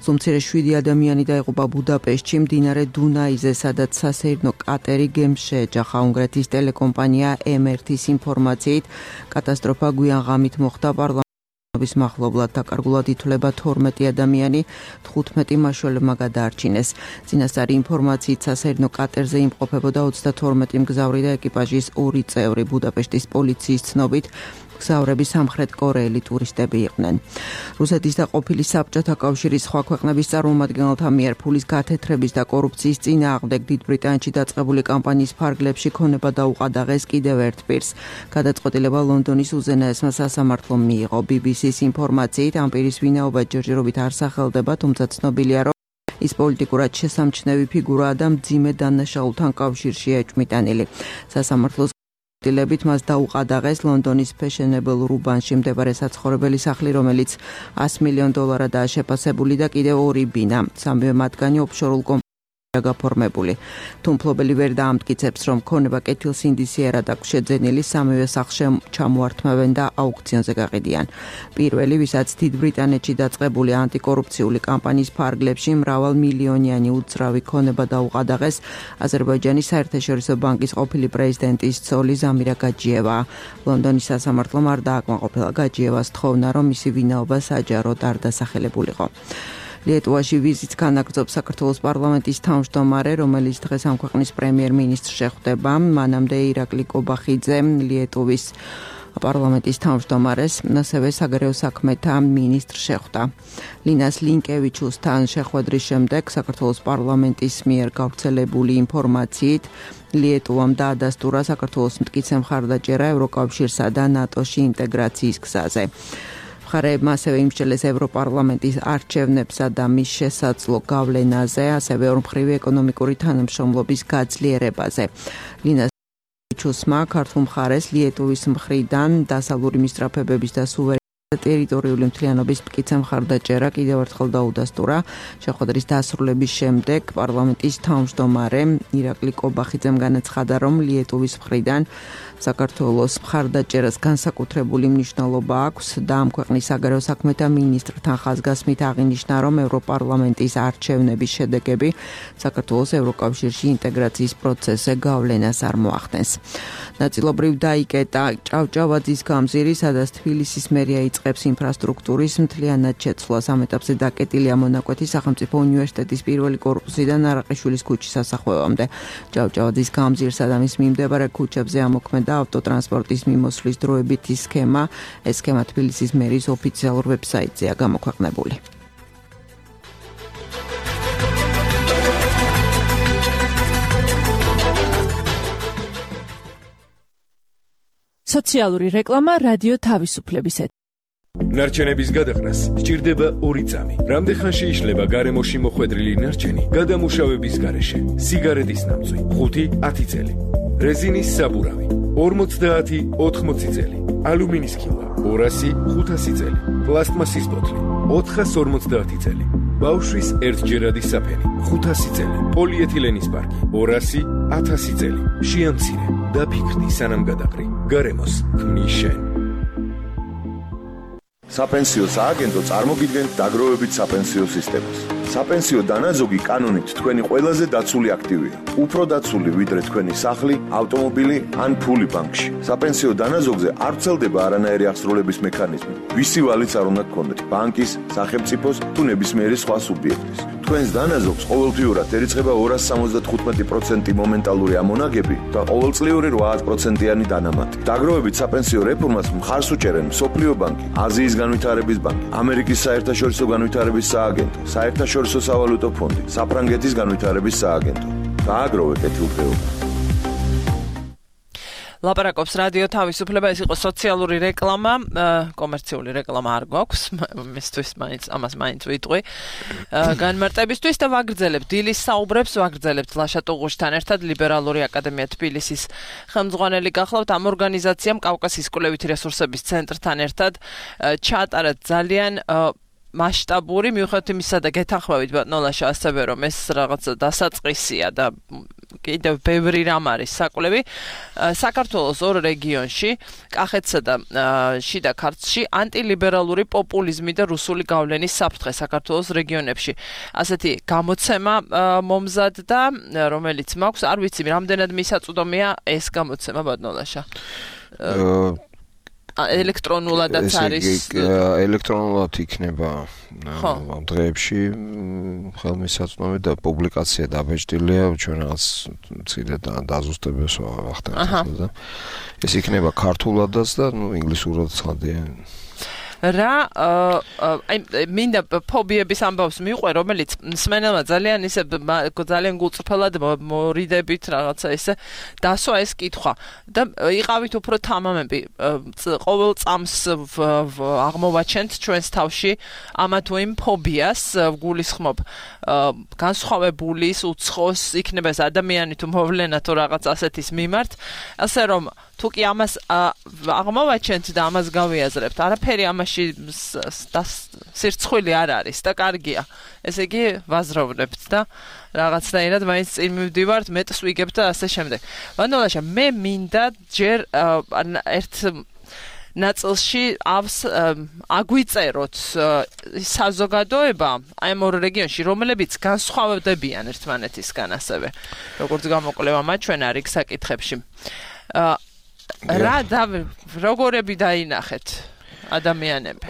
სუმცირე შვიდი ადამიანი დაიღუპა ბუდაპეშტში მდინარე დუნაიზე, სადაც სასეირნო კატერი გემს შეეჯახა. უნგრეთის ტელეკომპანია ემ ერთის ინფორმაციით კატასტროფა გვიან ღამით მოხდა პარლამენტის მახლობლად. დაკარგულად ითვლება თორმეტი ადამიანი, თხუთმეტი მაშველებმა გადაარჩინეს. წინასწარი ინფორმაციით სასეირნო კატერზე იმყოფებოდა ოცდათორმეტი მგზავრი და ეკიპაჟის ორი წევრი. ბუდაპეშტის პოლიციის ცნობით მგზავრები სამხრეთ კორეელი ტურისტები იყვნენ. რუსეთის და ყოფილი საბჭოთა კავშირის სხვა ქვეყნების წარმომადგენელთა მიერ ფულის გათეთრების და კორუფციის წინააღმდეგ დიდ ბრიტანეთში დაწყებული კამპანიის ფარგლებში ქონება დაუყადაღეს კიდევ ერთ პირს. გადაწყვეტილება ლონდონის უზენაესმა სასამართლომ მიიღო. ბი ბი სის ინფორმაციით ამ პირის ვინაობა ჯერჯერობით არ სახელდება, თუმცა ცნობილია, რომ ის პოლიტიკურად შესამჩნევი ფიგურაა და მძიმე დანაშაულთან კავშირში ეჭვმიტანილი. სასამართლოს დილებით მას დაუყადაღეს ლონდონის ფეშენებელ რუბანში მდებარე საცხოვრებელი სახლი, რომელიც ასი მილიონ დოლარადაა შეფასებული და კიდევ ორი ბინა. სამივე მათგანი ოფშორულ კომპანიებში არაფერია გაფორმებული. თუ მფლობელი ვერ დაამტკიცებს, რომ ქონება კეთილსინდისიერად აქვს შეძენილი, სამივე სახლში ჩამოართმევენ და აუქციონზე გაყიდიან. პირველი, ვისაც დიდ ბრიტანეთში დაწყებული ანტიკორუფციული კამპანიის ფარგლებში მრავალ მილიონიანი უძრავი ქონება დაუყადაღეს, აზერბაიჯანის საერთაშორისო ბანკის ყოფილი პრეზიდენტის ცოლი ზამირა გაჯიევა. ლონდონის სასამართლომ არ დააკმაყოფილა გაჯიევას თხოვნა, რომ მისი ვინაობა საჯაროდ არ დასახელებულიყო. ლიეტუვაში ვიზიტს განაგრძობს საქართველოს პარლამენტის თავმჯდომარე, რომელიც დღეს ამ ქვეყნის პრემიერ-მინისტრს შეხვდება. მანამდე ირაკლი კობახიძე ლიეტუვის პარლამენტის თავმჯდომარეს, ასევე საგარეო საქმეთა მინისტრს შეხვდა. ლინას ლინკევიჩუსთან შეხვედრის შემდეგ საქართველოს პარლამენტის მიერ გავრცელებული ინფორმაციით ლიეტუვამ დაადასტურა საქართველოს მტკიცე მხარდაჭერა ევროკავშირსა და ნატოში ინტეგრაციის გზაზე. მხარეებმა ასევე იმსჯელეს ევროპარლამენტის არჩევნებსა და მის შესაძლო გავლენაზე, ასევე ორმხრივი ეკონომიკური თანამშრომლობის გაძლიერებაზე. ლინას ჩუსმა ქართულ მხარეს ლიეტუვის მხრიდან დასავლური მისწრაფებების და სუვერენიტეტის ტერიტორიული მთლიანობის მტკიცე მხარდაჭერა კიდევ ერთხელ დაუდასტურა. შეხვედრის დასრულების შემდეგ პარლამენტის თავმჯდომარე ირაკლი კობახიძემ განაცხადა, რომ ლიეტუვის მხრიდან საქართველოს მხარდაჭერას განსაკუთრებული მნიშვნელობა აქვს და ამ ქვეყნის საგარეო საქმეთა მინისტრთან ხაზგასმით აღინიშნა, რომ ევროპარლამენტის არჩევნების შედეგები საქართველოს ევროკავშირში ინტეგრაციის პროცესზე გავლენას არ მოახდენს. ნაწილობრივ დაიკეტა ჭავჭავაძის გამზირი, სადაც თბილისის მერია იწყებს ინფრასტრუქტურის მთლიანად შეცვლას. ამ ეტაპზე დაკეტილია მონაკვეთი სახელმწიფო უნივერსიტეტის პირველი კორპუსიდან არაყიშვილის ქუჩის სასახვევამდე. ჭავჭავაძის გამზირსა და მის მიმდებარე ქუჩებზე ამოქმედა ავტოტრანსპორტის მიმოსვლის დროებითი სქემა. ეს სქემა თბილისის მერის ოფიციალურ ვებსაიტზეა გამოქვეყნებული. სოციალური რეკლამა რადიო თავისუფლების ეთერში. ნარჩენების გადაყრას სჭირდება ორი წამი. რამდენხანში იშლება გარემოში მოხვედრილი ნარჩენი გადამუშავების გარეშე? სიგარეტის ნამწვი ხუთი ათი წელი, რეზინის საბურავი ორმოცდაათი ოთხმოცი წელი, ალუმინის ქილვა ორასი ხუთასი წელი, პლასტმასის ბოთლი ოთხას ორმოცდაათი წელი, ბავშვის ერთჯერადი საფენი ხუთასი წელი, პოლიეთილენის პარკი ორასი ათასი წელი. შეამცირე და ფიქრდი სანამ გადაყრი. გარემოს ქმნის შენ. საპენსიო სააგენტო წარმოგიდგენთ დაგროვებით საპენსიო სისტემას. საპენსიო დანაზოგი კანონით თქვენი ყველაზე დაცული აქტივია. უფრო დაცული ვიდრე თქვენი სახლი, ავტომობილი ან ფული ბანკში. საპენსიო დანაზოგზე არ ვრცელდება არანაირი აღსრულების მექანიზმი. ვისი ვალიც არ უნდა გქონდეთ, ბანკის, სახელმწიფოს თუ ნებისმიერი სხვა სუბიექტის. თქვენს დანაზოგს ყოველთვიურად ერიცხება ორას სამოცდათხუთმეტი პროცენტი მომენტალური ამონაგები და ყოველწლიური რვა პროცენტიანი დანამატი. დაგროვებით საპენსიო რეფორმას მხარს უჭერენ მსოფლიო ბანკი, აზიის განვითარების ბანკი, ამერიკის საერთაშორისო განვითარების სააგენტო, საერთაშორისო სავალუტო ფონდი, საფრანგეთის განვითარების სააგენტო. გააგროვე კეთილდღეობა. ლაპარაკობს რადიო თავისუფლება, ეს იყო სოციალური რეკლამა, კომერციული რეკლამა არ გვაქვს, მისთვის მაინც ამას მაინც ვიტყვი. განმარტებისთვის და ვაგრძელებთ დილის საუბრებს, ვაგრძელებთ ლაშა ტუღუშთან ერთად ლიბერალური აკადემია თბილისის ხელმძღვანელი გახლავთ. ამ ორგანიზაციამ კავკასიის კვლევითი რესურსების ცენტრთან ერთად ჩაატარა ძალიან მასშტაბური, მიუხედავად იმისა და გეთანხმებით ბატონო ლაშა ასევე რომ ეს რაღაცა დასაწყისია და კიდევ ბევრი რამ არის საკვლევი. საქართველოს ორ რეგიონში, კახეთსა და შიდა ქართლში ანტილიბერალური პოპულიზმი და რუსული გავლენის საფრთხე საქართველოს რეგიონებში. ასეთი გამოცემა მომზად და რომელიც მაქვს, არ ვიცი რამდენად მისაწვდომია ეს გამოცემა ბატონო ლაშა. ელექტრონულადაც არის ელექტრონულად იქნება ამ დღეებში ხელმისაწვდომი და პუბლიკაცია დაბეჭდილია ჩვენ რაღაც მცირე დაზუსტებებს ვახდენთ და ეს იქნება ქართულადაც და ნუ ინგლისურადაც ხადია. რა აი მინდა ფობიების ამბავს მიყვე, რომელიც მსმენელმა ძალიან ისე ძალიან გულწრფელად მორიდებით რაღაცა ისე დასვა ეს კითხვა და იყავით უფრო თამამები ყოველ წამს აღმოვაჩენთ ჩვენს თავში ამა თუ იმ ფობიას გულისხმობ განსხვავებულის უცხოს იქნება ეს ადამიანი თუ მოვლენა თუ რაღაც ასეთის მიმართ ასე რომ თუ კი ამას აღმოვაჩენთ და ამას გავიაზრებთ არაფერი ამაში სირცხვილი არ არის და კარგია. ესე იგი ვაზროვნებთ და რაღაცნაირად მაინც წინ მივდივართ, მეტს ვიგებ და ასე შემდეგ. ვანდალაშა, მე მინდა ჯერ ერთ ნაწილშიავს აგვიწეროთ საზოგადოება აი ამ ორ რეგიონში, რომლებიც განსხვავდებიან ერთმანეთისგან ასევე. როგორც გამოკვლევა მაჩვენა რიგ საკითხებში. რა და როგორები დაინახეთ ადამიანები?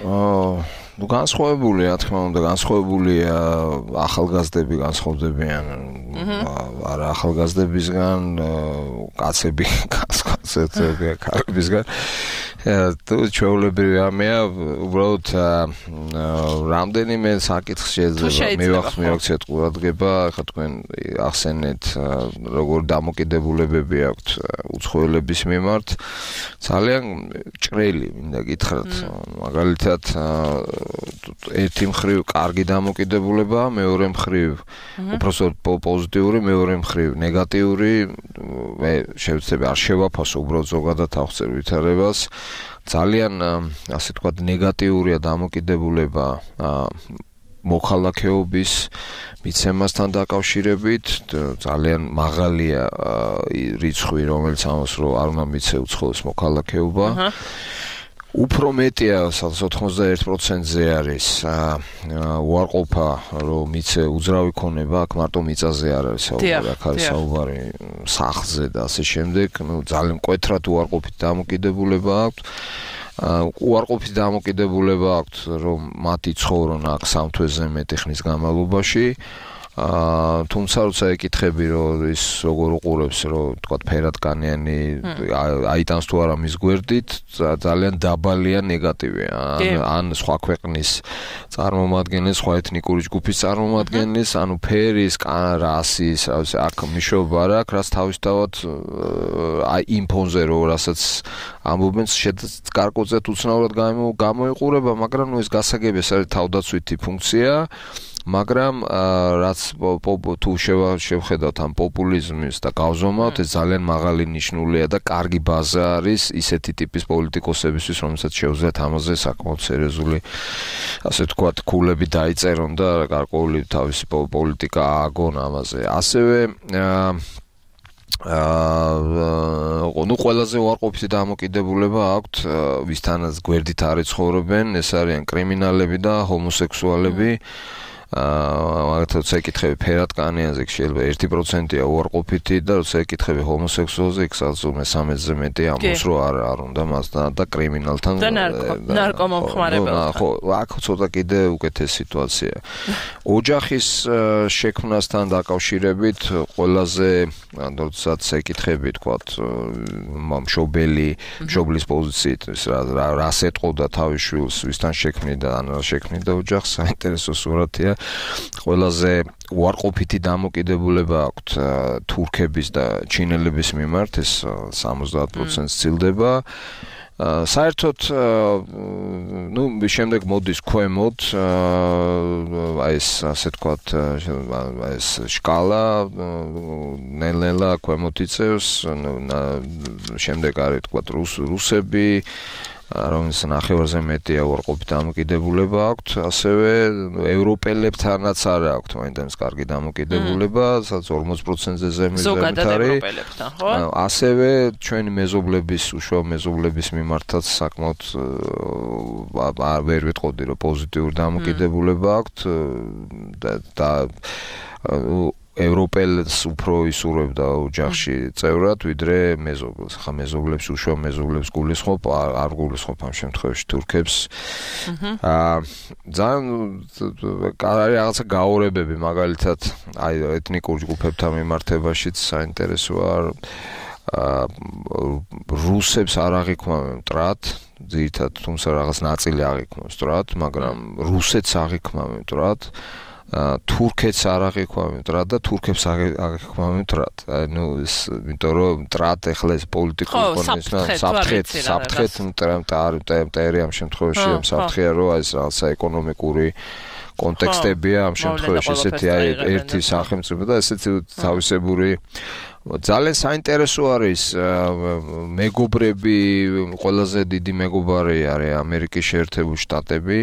ნუ განსხვავებული, რა თქმა უნდა, განსხვავებულია ახალგაზრდები განსხვავდებიან. არა ახალგაზრდებისგან, კაცები განსხვავდებიან ქალებისგან. თუ ჩვეულებრივი ამია, უბრალოდ რამდენიმე საკითხს შეიძლება მივახსენოთ ყურადღება, ხა თქვენ ახსენეთ როგორ დამოკიდებულებები აქვთ უცხოელების მიმართ. ძალიან ჭრელი მინდა გითხრათ, მაგალითად ერთი მხრივ კარგი დამოკიდებულება, მეორე მხრივ უпроსოდ პოზიტიური, მეორე მხრივ ნეგატიური, მე შევცდები არ შევაფასო უბრალოდ ზოგადად აღწერ ვითარებას. ძალიან ასე თქვა ნეგატიურია დამოკიდებულება მოქალაქეობის მიცემასთან დაკავშირებით, ძალიან მაღალია რიცხვი, რომელიც ამას რომ არ უნდა მიცე უცხოელს მოქალაქეობა. უფრო მეტია, სადღაც ოცდაერთი პროცენტზე არის უარყოფა, რომ მიცე უძრავი ქონება, აქ მარტო მიწაზე არ არის საუბარი, აქ არის საუბარი სახლზე და ასე შემდეგ, ნუ ძალიან მკვეთრად უარყოფით დამოკიდებულება აქვთ. უარყოფით დამოკიდებულება აქვთ, რომ მათი ცხოვრონ აქ სამ თვეზე მეტი ხნის განმავლობაში. თუმცა როცა ეკითხები, რომ ის როგორ უყურებს, რომ თქვა ფერადკანიანი აიტანს თუ არა მის გვერდით, ძალიან დაბალია ნეგატივია. ან სხვა ქვეყნის წარმომადგენლის, სხვა ეთნიკური ჯგუფის წარმომადგენლის, ანუ ფერის, რასის, აქ მიშობა რა, რაც თავისთავად აი იმ ფონზე რო რასაც ამბობენ, გარკვეულწილად უცნაურად გამოიყურება, მაგრამ ნუ ეს გასაგები ეს არის თავდაცვითი ფუნქცია. მაგრამ რაც თუ შევხედავთ ამ პოპულიზმის და გავზომავთ, ეს ძალიან მაღალი ნიშნულია და კარგი ბაზა არის ისეთი ტიპის პოლიტიკოსებისთვის, რომელსაც შეუძლიათ ამაზე საკმაოდ სერიოზული, ასე ვთქვათ, ქულები დაიწერონ და გარკვეული თავისი პოლიტიკა ააგონ ამაზე. ასევე აა ნუ ყველაზე უარყოფითი დამოკიდებულება აქვთ ვისთანაც გვერდით არ იცხოვრობენ, ეს არიან კრიმინალები და ჰომოსექსუალები. აა მაგათაც ეკითხები ფერადკანიანზე შეიძლება ერთი პროცენტია უარყოფითი და როცა ეკითხები ჰომოსექსუალზე იქ სადღაც მესამედზე მეტი ამბობს რომ არ არ უნდა მასთან და კრიმინალთან და ნარკომომხმარებელთან. ხო, აქ ცოტა კიდე უკეთესი სიტუაცია. ოჯახის შექმნასთან დაკავშირებით ყველაზე როდესაც ეკითხები თქვათ მშობელი, მშობლის პოზიციით რა რას ეტყოდა თავის შვილს, ვისთან შექმნიდა, ან რა შექმნიდა ოჯახს, საინტერესო სურათია. ყველაზე უარყოფითი დამოკიდებულება აქვთ თურქების და ჩინელების მიმართ, ეს სამოცდაათ პროცენტს ცილდება. საერთოდ ნუ შემდეგ მოდის ქვემოთ აი ეს ასე თქვათ ეს სკალა ნელ-ნელა ქვემოთ იწევს, შემდეგ არის თქვათ რუსები, რომელიც ნახევარზე მეტია უარყოფით დამოკიდებულება აქვთ, ასევე ევროპელებთანაც არა აქვთ მაინც კარგი დამოკიდებულება, სადაც ორმოცი პროცენტზე ზემოთ არის. ასევე ჩვენი მეზობლების, უშუალო მეზობლების მიმართაც საკმაოდ ვერ ვიტყოდი, რომ პოზიტიური დამოკიდებულება აქვთ და ევროპელს უფრო ისურვებდა ოჯახში წევრად, ვიდრე მეზობლებს. ხა მეზობლებს, უშუალო მეზობლებს გულისხმობ, არ გულისხმობ ამ შემთხვევაში თურქებს. აა ძალიან არის რაღაცა გაორებები, მაგალითად, აი ეთნიკურ ჯგუფებთან მიმართებაშიც საინტერესოა. აა რუსებს არ აღიქვამენ მტრად, ძირითადად, თუმცა რაღაც ნაწილი აღიქვამენ მტრად, მაგრამ რუსეთს აღიქვამენ მტრად. თურქეთს არ აღიქვამენ მტრად და თურქებს აღიქვამენ მტრად. აი ნუ ეს, იმიტომ რომ მტრად ეხლა ეს პოლიტიკური კონტექსტი, საფრთხეთ, საფრთხეთ მტერი ამ შემთხვევაში, ამ საფრთხეა რომ ეს რაღაცა ეკონომიკური კონტექსტებია ამ შემთხვევაში, ესეთი აი ერთი სახელმწიფო და ესეთი თავისებური ძალიან საინტერესო არის მეგობრები, ყველაზე დიდი მეგობარი არის ამერიკის შეერთებული შტატები.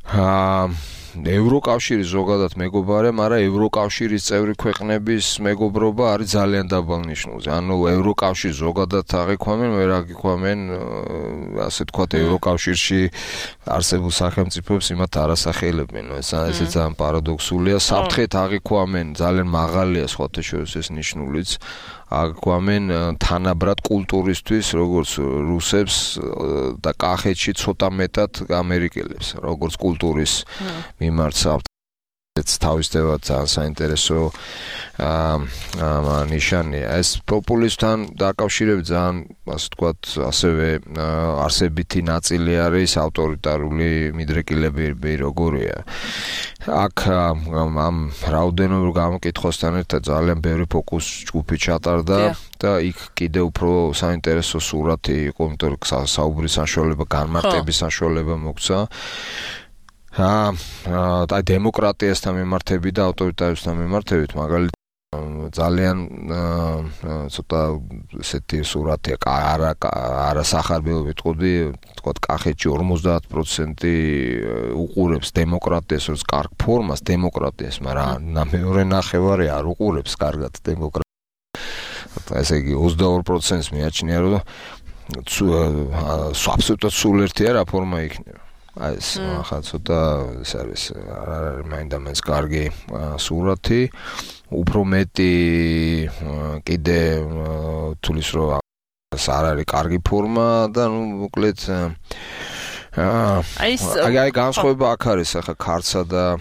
აა ევროკავშირის ზოგადად მეგობარი, მაგრამ ევროკავშირის წევრი ქვეყნების მეგობრობა არის ძალიან დაბალ ნიშნულზე. ანუ ევროკავშირი ზოგადად აღიქვამენ, ვერ აღიქვამენ, ასე თქვათ, ევროკავშირში არსებულ სახელმწიფოებს იმათ არასახელებენ. ეს ესე ძალიან პარადოქსულია. საფრთხეთ აღიქვამენ, ძალიან მაღალია სხვათა შორის ეს ნიშნულიც. აღიქვამენ თანაბრად კულტურისთვის, როგორც რუსებს და კახეთში ცოტა მეტად ამერიკელებს, როგორც კულტურის მიმართ ეს თავისთავად ძალიან საინტერესო აა ნიშანია. ეს პოპულისტთან დაკავშირებით ძალიან, ასე ვთქვათ, ასევე არსებითი ნაწილი არის ავტორიტარული მიდრეკილებები, როგორია. აქ ამ რაოდენობით გამოკითხვასთან ერთად ძალიან ბევრი ფოკუს ჯგუფი ჩატარდა და იქ კიდევ უფრო საინტერესო სურათი იყო, იმიტომ რომ საუბრის საშუალება, განმარტების საშუალება მოგცა. აა და დემოკრატიასთან მიმართებით და ავტორიტარიზმთან მიმართებით, მაგალითად ძალიან ცოტა ესეთი სურათია, არა არა სახარბელო ვიტყოდი, თქვათ კახეთში ორმოცდაათ პროცენტი უყურებს დემოკრატიას, როგორც კარგ ფორმას დემოკრატიას, მაგრამ მეორე ნახევარი არ უყურებს კარგად დემოკრატიას. ესე იგი ოცდაორ პროცენტს მიაჩნია, რომ აბსოლუტურად სულ ერთი არა ფორმა იქნება. აი ეს ახლა ცოტა ეს არის არ არის მაინდამაინც კარგი სურათი, უფრო მეტი კიდე თulis რომ ეს არ არის კარგი ფორმა და ნუ მოკლედ აი აი განსხვავება აქ არის ახლა ქართსა და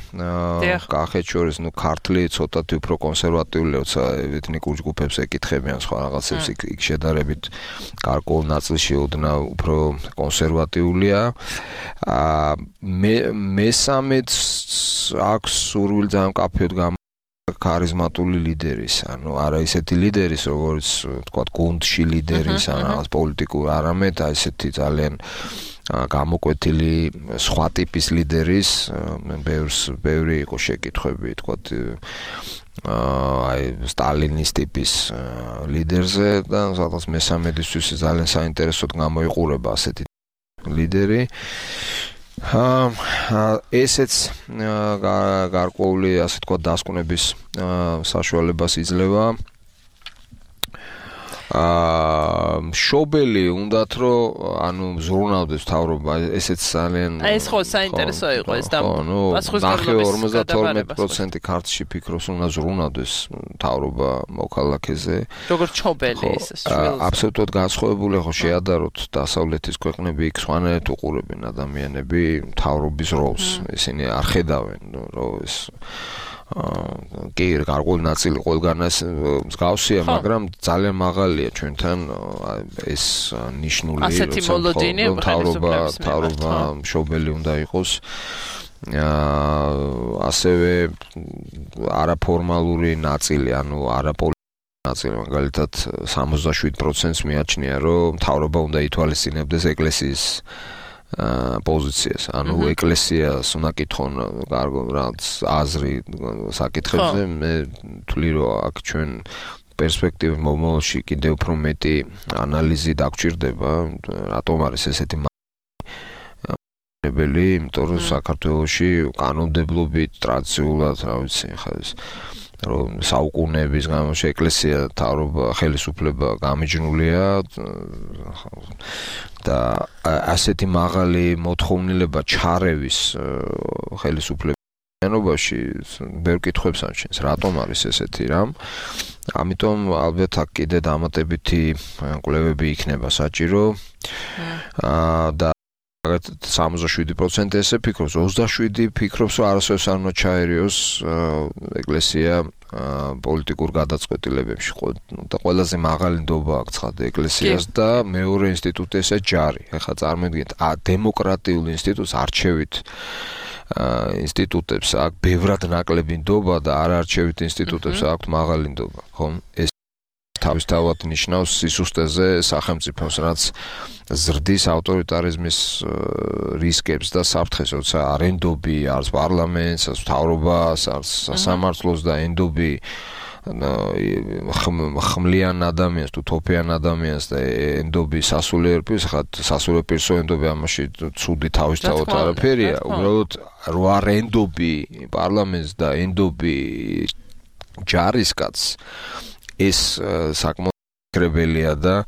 კახეთს შორის, ნუ ქართლი ცოტათი უფრო კონსერვატიულია, როცა ეთნიკურ ჯგუფებს ეკითხებიან სხვა რაღაცებს, იქ შედარებით გარკვეულ ნაწილში ოდნავ უფრო კონსერვატიულია. აა მე მესამეც აქვს სურვილი ძალიან კაფეოდ გამ ქარიზმატული ლიდერის, ანუ არა ისეთი ლიდერის, როგორც თქვა გუნდში ლიდერის, ან რაღაც პოლიტიკურ, არამედ აი ესეთი ძალიან გამოკვეთილი სხვა ტიპის ლიდერის, ბევრს ბევრი იყო შეკითხვები, თქვა აი სტალინის ტიპის ლიდერზე და სადღაც მესამედისთვის ძალიან საინტერესოდ გამოიყურება ასეთი ლიდერი. აა ესეც გარკვეული, ასე თქვა, დასკვნების საშუალებას იძლევა. აა შობელი უნდათ რომ ანუ ზრუნავდეს მთავრობა, ესეც ძალიან აი ეს ხო საინტერესო იყო ეს და ორმოცდათორმეტი პროცენტი ქართლში ფიქრობს უნდა ზრუნავდეს მთავრობა მოქალაქეზე. როგორც შობელი ეს აბსოლუტურად განსხვავებული ხო შეადაროთ დასავლეთის ქვეყნები, იქ სხვანაირად უყურებენ ადამიანები მთავრობის როლს. ისინი არ ხედავენ რომ ეს კი გარკვეული ნაწილი ყველგანაც მსგავსია, მაგრამ ძალიან მაღალია ჩვენთან ეს ნიშნული, რომ მთავრობა მთავრობა მშობელი უნდა იყოს. ასევე არაფორმალური ნაწილი, ანუ არაპოლიტიკური ნაწილი, მაგალითად სამოცდაშვიდ პროცენტს მიაჩნია, რომ მთავრობა უნდა ითვალისწინებდეს ეკლესიის პოზიციას, ანუ ეკლესიას უნდა კითხონ რაღაც აზრი საკითხებზე. მე ვთვლი, რომ აქ ჩვენ პერსპექტივი მომავალში კიდევ უფრო მეტი ანალიზი დაგჭირდება, რატომ არის ესეთი მაბელი, იმიტომ რომ საქართველოში კანონმდებლობით ტრადიციულად, რა ვიცი, ხა ეს რომ საუკუნეების განმავლობაში ეკლესია მთავრობა ხელისუფლება გამიჯნულია და ასეთი მაღალი მოთხოვნილება ჩარევის ხელისუფლებაში ბევრ კითხვებს ამჩნევს, რატომ არის ესეთი რამ. ამიტომ ალბათ აქ კიდე დამატებითი კვლევები იქნება საჭირო და სამოცდაშვიდი პროცენტი ესე ფიქრობს, ოცდაშვიდი ფიქრობს, რომ არასოდეს არ უნდა ჩაერიოს ეკლესია პოლიტიკურ გადაწყვეტილებებში. და ყველაზე მაღალი ნდობა აქვს ცხადე ეკლესიას და მეორე ინსტიტუტი ესე ჯარი. ეხლა წარმოიდგინეთ, დემოკრატიულ ინსტიტუტს არჩევით ინსტიტუტებს აქვს ბევრად ნაკლები ნდობა და არაარჩევით ინსტიტუტებს აქვს მაღალი ნდობა, ხომ? ეს თავისთავად ნიშნავს სისუსტეზე სახელმწიფოს, რაც ზრდის ავტორიტარიზმის რისკებს და საფრთხეს, როცა არ ენდობი არც პარლამენტს, არც მთავრობას, არც სასამართლოს და ენდობი ხმლიან ადამიანს, თუ თოფიან ადამიანს და ენდობი სასულიერო პირს, ხა სასულიერო პირსო ენდობი ამაში ცუდი თავისთავად არაფერია, უბრალოდ რო არ ენდობი პარლამენტს და ენდობი ჯარისკაცს ეს საკმაოდ კრებელია და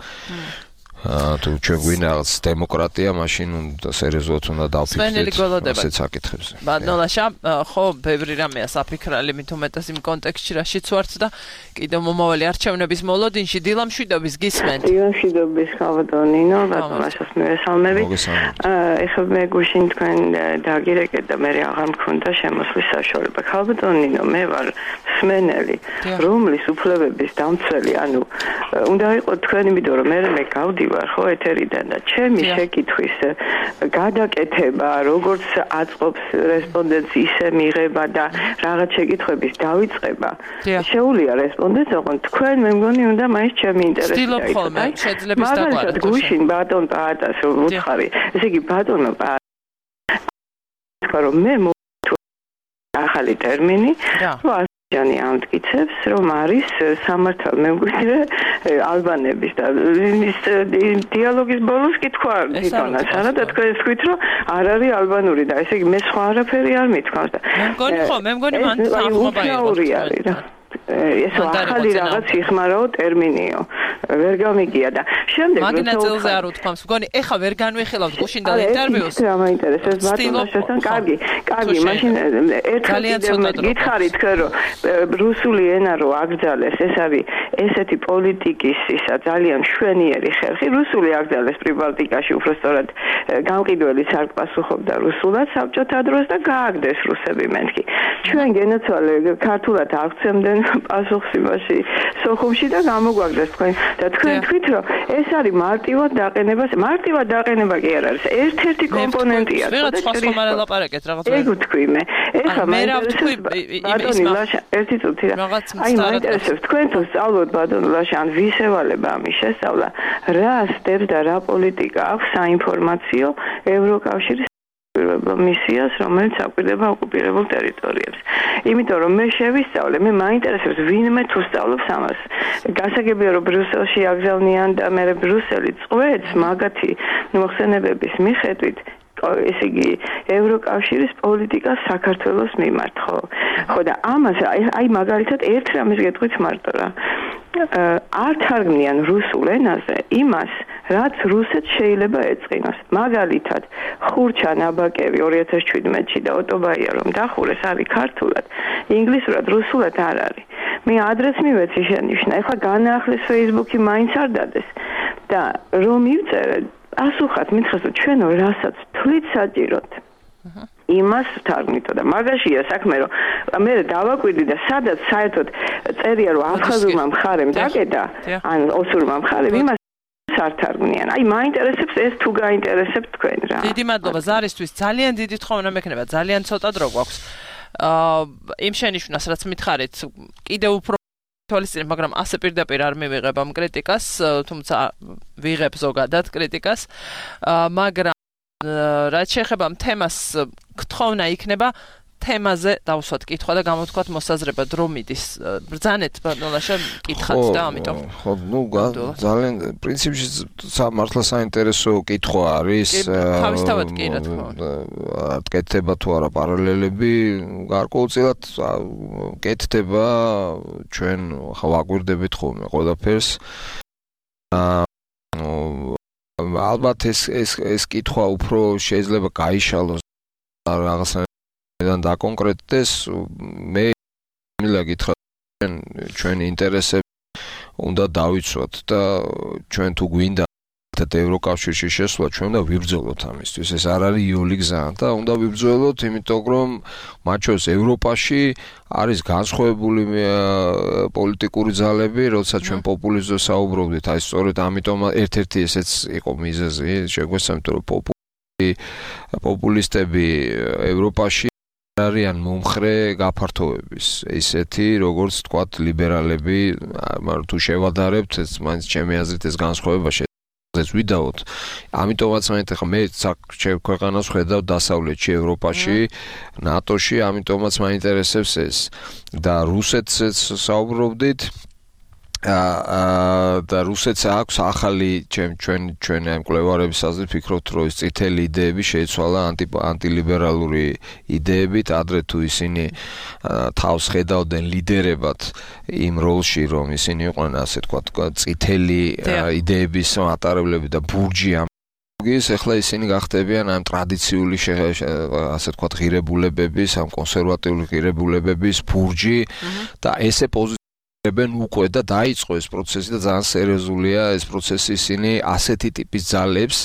თუ ჩვენ გვინდა რაღაც დემოკრატია, მაშინ უნდა სერიოზულად უნდა დავფიქრდეთ ასეთ საკითხებზე. ბატონაშა, ხო, ბევრი რამეა საფიქრალი, მით უმეტეს იმ კონტექსტში რაშიც ვართ და კიდევ მომავალი არჩევნების მოლოდინში დილა მშვიდობის გისმენთ. დილა მშვიდობის ხავდონინო, ბატონაშას მივესალმები. ეხლა მე გუშინ თქვენ დაგირეკეთ და მე აღარ მქონდა შემოსვლის საშუალება. ხავდონინო, მე ვარ სმენელი, რომლის უფლებების დამცველი, ანუ უნდა იყოს თქვენ, იმიტომ რომ მე მე გავდი ხო ეთერიდან და ჩემი შეკითხვის გადაკეთება როგორც აწყობს რესპონდენტს ისე მიღება და რაღაც შეკითხვების დავიწყება შეუულია რესპონდენტს ოღონდ თქვენ მე მგონი უნდა მაინც ჩემი ინტერესი ვცდილობ ხოლმე შეძლებს დაგვარად მაგალითად გუშინ ბატონ პაატას უთხარი ესე იგი ბატონო პაატა რომ მე ახალი ტერმინი ჯანი ამტკიცებს რომ არის სამართალ მემკვიდრე ალბანების და ის დიალოგის ბოლოს კითხვა თვითონაც არა და თქვენ თქვით რომ არ არის ალბანური და ესე იგი მე სხვა არაფერი არ მithქვავს და მე მგონი ხო მე მგონი მან თანხმობა იყო ეს ახალი რაღაც იხმარაო ტერმინიო ვერ გამიგია და შემდეგ მაგნატელზე არ უთქვამს მგონი ეხა ვერ განვიხილავთ გუშინ და ინტერვიუს რა მაინტერესებს ბატონაშასთან კარგი კარგი მაშინ ერთხელ გითხარი თქვენ რომ რუსული ენა რო აკრძალეს ეს არის ესეთი პოლიტიკის ისა ძალიან მშვენიერი ხერხი რუსული აკრძალეს პრიბალტიკაში უბრალოდ გამყიდველი სარკმასუხობდა რუსულად საბჭოთა დროს და გააგდეს რუსები მეთქი ჩვენ გენაცვალე ქართულად აღწევდნენ პასუხს იმაში სოხუმში და გამოგვაგდეს თქვენ და თქვენ თქვით რომ ეს არის მარტივად დაყენება მარტივად დაყენება კი არ არის ერთ-ერთი კომპონენტია და სხვა სხვა ლაპარაკეთ რაღაც ეგ ვთქვი მე ეხლა მე რა ვთქვი იმის ერთი წუთი რა აი მაინტერესებს თქვენ თუ სწავლობთ ბატონო ლაშა ან ვის ევალება ამის შესწავლა რა სტეპს და რა პოლიტიკა აქვს საინფორმაციო ევროკავშირის მისიას, რომელიც აკვირდება ოკუპირებულ ტერიტორიებს. იმიტომ რომ მე შევისწავლე, მე მაინტერესებს ვინმე თუ სწავლობს ამას. გასაგებია რომ ბრიუსელში აკრძალნიან და მე ბრიუსელი წვეთს მაგათი მოხსენებების მიხედვით ესე იგი ევროკავშირის პოლიტიკა საქართველოს მიმართ, ხო? ხო და ამას აი მაგალითად ერთ რამეს გეტყვით მარტო რა. არ თარგმნიან რუსულ ენაზე იმას, რაც რუსეთს შეიძლება ეწყინოს. მაგალითად, ხურჩა ნაბაკევი ორი ათას შვიდმეტში და ოტობაია რომ დახურეს არის ქართულად, ინგლისურად, რუსულად არ არის. მე ადრესს მივეცი შენიშნა, ეხლა განაახლეს Facebook-ი მაინც არ დადეს და რომ მივწერე ასუხად მითხრას რომ ჩვენო რასაც თვლით საჭიროთ იმას თარგმნითო და მაგაშია საქმე რომ მე დავაკვირდი და სადაც საერთოდ წერია რომ აფხაზურმა მხარემ დაკეტა ან ოსურმა მხარემ იმას არ თარგმნიან. აი მაინტერესებს ეს თუ გაინტერესებთ თქვენ რა. დიდი მადლობა ზარისთვის ძალიან დიდი თხოვნა მექნება ძალიან ცოტა დრო გვაქვს. აა იმ შენიშვნას რაც მითხარით კიდევ უფრო თვალისწინებ, მაგრამ ასე პირდაპირ არ მივიღებ ამ კრიტიკას, თუმცა ვიღებ ზოგადად კრიტიკას, მაგრამ რაც შეეხება თემას გთხოვნა იქნება თემაზე დავსვათ კითხვა და გამოთქვათ მოსაზრება დრო მიდის. ბრძანეთ ბატონაშა კითხათ და ამიტომ. ხო, ნუ ძალიან პრინციპში მართლა საინტერესო კითხვა არის. თავისთავად კი რა თქმა უნდა. კეთდება თუ არა პარალელები, გარკვეულწილად კეთდება ჩვენ ხა ვაკვირდებით ხოლმე ყველაფერს. ალბათ ეს ეს ეს კითხვა უფრო შეიძლება გაიშალოს რაღაცა და დაკონკრეტდეს მე მილა გითხრა ჩვენ ინტერესები უნდა დავიცვათ და ჩვენ თუ გვინდა და ევროკავშირში შესვლა ჩვენ უნდა ვიბრძოლოთ ამისთვის ეს არ არის იული გზა და უნდა ვიბრძოლოთ იმიტომ რომ მათ შორის ევროპაში არის განსხვავებული პოლიტიკური ძალები როდესაც ჩვენ პოპულიზმზე საუბრობდით აი სწორედ ამიტომ ერთ-ერთი ესეც იყო მიზეზი შეგვესწამთ რომ პოპულისტები ევროპაში არიან მომხრე გაფართოების ისეთი როგორც თქვათ ლიბერალები მაგრამ თუ შევადარებთ ეს მაინც ჩემი აზრით ეს განსხვავება ეს ვიდაოთ. ამიტომაც მაინტერესებს მე საკ ქვეყანას ხედავ დასავლეთში, ევროპაში, ნატოში, ამიტომაც მაინტერესებს ეს. და რუსეთსაც საუბრობდით აა და რუსეთს აქვს ახალი ჩვენ ჩვენ ჩვენ ამ კვლევარების აზრით ფიქრობთ რომ ეს წითელი იდეები შეიცვალა ანტი ანტილიბერალური იდეებით ადრე თუ ისინი თავს ხედავდნენ ლიდერებად იმ როლში რომ ისინი იყვნენ ასე თქვა წითელი იდეების მატარებლები და ბურჯი ამ ის ახლა ისინი გახდებიან ამ ტრადიციული ასე თქვა ღირებულებების ამ კონსერვატიული ღირებულებების ბურჯი და ესე ებენ უკვე და დაიწყო ეს პროცესი და ძალიან სერიოზულია ეს პროცესი ისინი ასეთი ტიპის ძალებს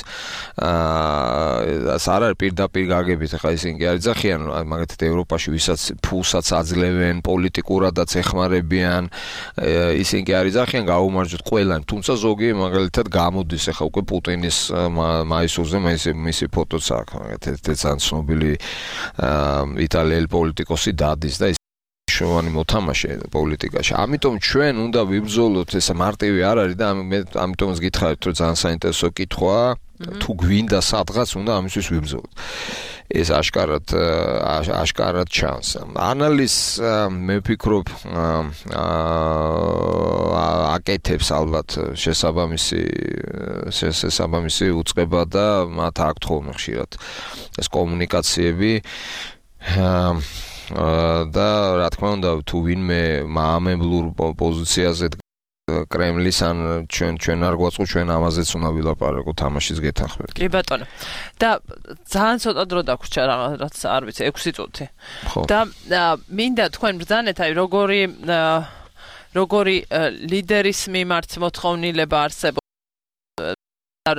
აა არ არის პირდაპირ გაგებით ახლა ისინი კი არ იძახიან მაგათი ევროპაში ვისაც ფულსაც აძლევენ პოლიტიკურადაც ეხმარებიან ისინი კი არ იძახიან გაუმარჯოთ ყველანი თუმცა ზოგი მაგალითად გამოდის ახლა უკვე პუტინის მაისურზე მისი მისი ფოტოც აქვს მაგათი ძალიან ცნობილი იტალიელი პოლიტიკოსი დადის და შოვანი მოთამაშე პოლიტიკაში. ამიტომ ჩვენ უნდა ვიბრძოლოთ, ეს მარტივი არ არის და ამიტომაც გითხარით, რომ ძალიან საინტერესო კითხვაა, თუ გვინდა სადღაც უნდა ამისთვის ვიბრძოლოთ. ეს აშკარად აშკარად ჩანს. ანალიზს მე ვფიქრობ აკეთებს ალბათ შესაბამისი შესაბამისი უწყება და მათ აქვთ ხოლმე ხშირად ეს კომუნიკაციები და რა თქმა უნდა თუ ვინმე მაამებლურ პოზიციაზე კრემლის ან ჩვენ ჩვენ არ გვაწყო ჩვენ ამაზეც უნდა ვილაპარაკო თამაშის გეთანხმებით. კი ბატონო. და ძალიან ცოტა დრო დაგვრჩა რაღაც არ ვიცი ექვსი წუთი. და მინდა თქვენ ბრძანეთ აი როგორი როგორი ლიდერის მიმართ მოთხოვნილება არსებობს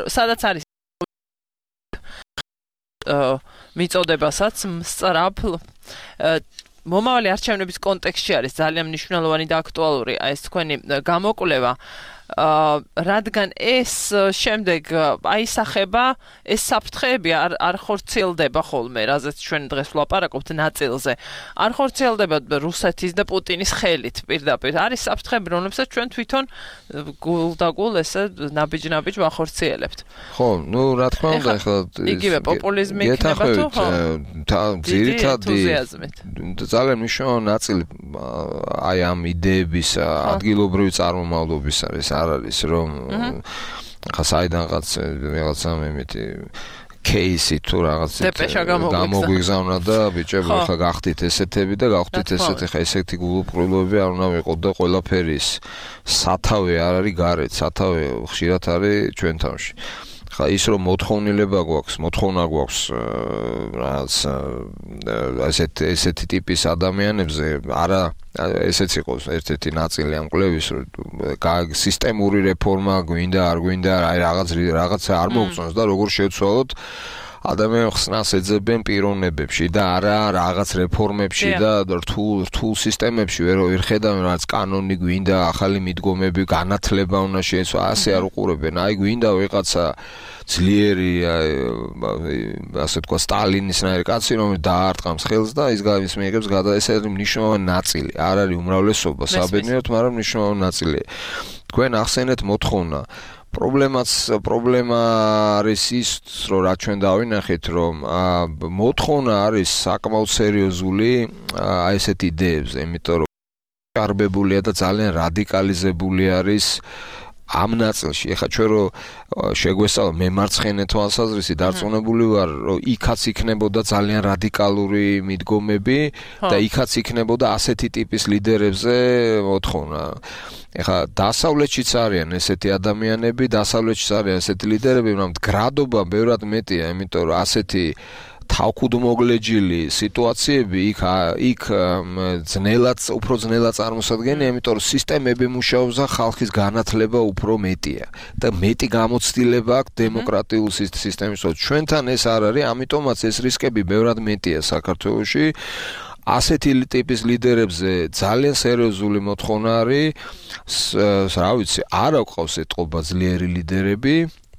სადაც არის მიწოდებასაც სწრაფ მომავალი არჩევნების კონტექსტში არის ძალიან მნიშვნელოვანი და აქტუალური აი ეს თქვენი გამოკვლევა რადგან ეს შემდეგ აისახება ეს საფრთხეები არ არ ხორციელდება ხოლმე რაზეც ჩვენ დღეს ვლაპარაკობთ ნაწილზე არ ხორციელდება რუსეთის და პუტინის ხელით პირდაპირ არის საფრთხეები რომლებსაც ჩვენ თვითონ გულ და გულ ესე ნაბიჯ-ნაბიჯ ვახორციელებთ ხო ნუ რა თქმა უნდა ახლა იგივე პოპულიზმი იქნება თუ ხო ძირითადი ძალიან მნიშვნელოვანი ნაწილი აი ამ იდეების ადგილობრივი წარმომავლობის არის არ არის რომ ხა საიდანღაც რაღაცა მემეთი кейსი თუ რაღაც გამოგვიგზავნა და ბიჭებო ხა გახდით ესეთები და გავხდით ესეთი ხა ესეთი გულუბრყვილობები არ უნდა ვიყოთ და ყველაფერის სათავე არ არის გარეთ სათავე ხშირად არის ჩვენ თავში ხა ის რომ მოთხოვნილება გვაქვს მოთხოვნა გვაქვს რაღაც ესეთ ესეთი ტიპის ადამიანებზე არა ესეც იყოს ერთ-ერთი ნაწილი ამ კვლევის რომ სისტემური რეფორმა გვინდა არ გვინდა აი რაღაც რაღაცა არ მოგწონს და როგორ შევცვალოთ ადამიანს ხსნას ეძებენ პიროვნებებში და არა რაღაც რეფორმებში და რთულ რთულ სისტემებში ვერ ვერ ხედავენ რაც კანონი გვინდა ახალი მიდგომები განათლება უნდა შეეცვა ასე არ უყურებენ აი გვინდა ვიღაცა ძლიერი ასე თქვა სტალინისნაირი კაცი რომელიც დაარტყამს ხელს და ის ის მიიღებს გადა ეს არის მნიშვნელოვანი ნაწილი არ არის უმრავლესობა საბედნიეროდ მაგრამ მნიშვნელოვანი ნაწილია თქვენ ახსენეთ მოთხოვნა პრობლემაც პრობლემა არის ის რომ რა ჩვენ დავინახეთ რომ მოთხოვნა არის საკმაოდ სერიოზული აი ესეთ იდეებზე იმიტომ რომ კარბებულია და ძალიან რადიკალიზებული არის ამ ნაწილში ეხა ჩვენ რო შეგვესწავლა მემარცხენე თვალსაზრისი დარწმუნებული ვარ რომ იქაც იქნებოდა ძალიან რადიკალური მიდგომები და იქაც იქნებოდა ასეთი ტიპის ლიდერებზე მოთხოვნა ეხა დასავლეთშიც არიან ესეთი ადამიანები დასავლეთშიც არიან ესეთი ლიდერები მაგრამ გრადობა ბევრად მეტია იმიტომ რომ ასეთი თავქუდმოგლეჯილი სიტუაციები იქ იქ ძნელად უფრო ძნელად წარმოსადგენია, იმიტომ რომ სისტემები მუშაობს და ხალხის განათლება უფრო მეტია და მეტი გამოცდილება აქვს დემოკრატიულ სისტემის. ჩვენთან ეს არ არის, ამიტომაც ეს რისკები ბევრად მეტია საქართველოში. ასეთი ტიპის ლიდერებზე ძალიან სერიოზული მოთხოვნა არის, რა ვიცი, არ აქვს ეთყობა ძლიერი ლიდერები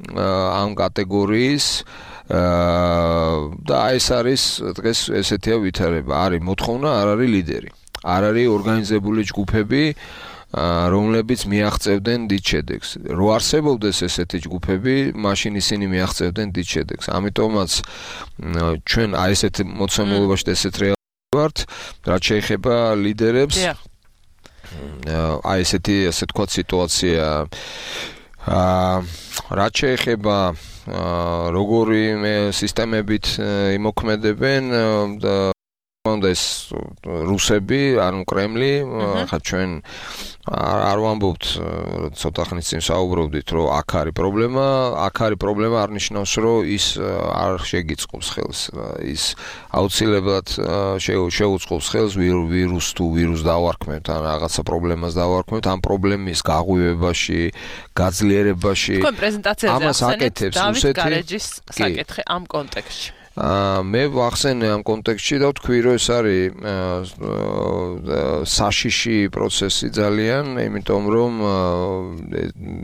ამ კატეგორიის და ეს არის დღეს ესეთია ვითარება არის მოთხოვნა არ არის ლიდერი არ არის ორგანიზებული ჯგუფები რომლებიც მიაღწევდნენ დიდ შედეგს. რო არსებობდეს ესეთი ჯგუფები, მაშინ ისინი მიაღწევდნენ დიდ შედეგს. ამიტომაც ჩვენ აი ესეთ მოცემულობაში ესეთ რეალურად ვართ, რაც შეეხება ლიდერებს. აი ესეთი ასე თქვა სიტუაცია აა რაც შეეხება როგორი სისტემებით იმოქმედებენ და ეს რუსები, ანუ კრემლი, ხა ჩვენ არ ვამბობთ ცოტა ხნის წინ საუბრობდით, რომ აქ არის პრობლემა, აქ არის პრობლემა არ ნიშნავს, რომ ის არ შეგიწყობს ხელს, ის აუცილებლად შეუწყობს ხელს ვირუს თუ ვირუს დავარქმევთ, ან რაღაცა პრობლემას დავარქმევთ, ამ პრობლემის გაღვივებაში, გაძლიერებაში. თქვენ პრეზენტაციაზე ახსენეთ დავით გარეჯის საკითხი ამ კონტექსტში. მე ვახსენე ამ კონტექსტში და ვთქვი, რომ ეს არის საშიში პროცესი ძალიან, იმიტომ რომ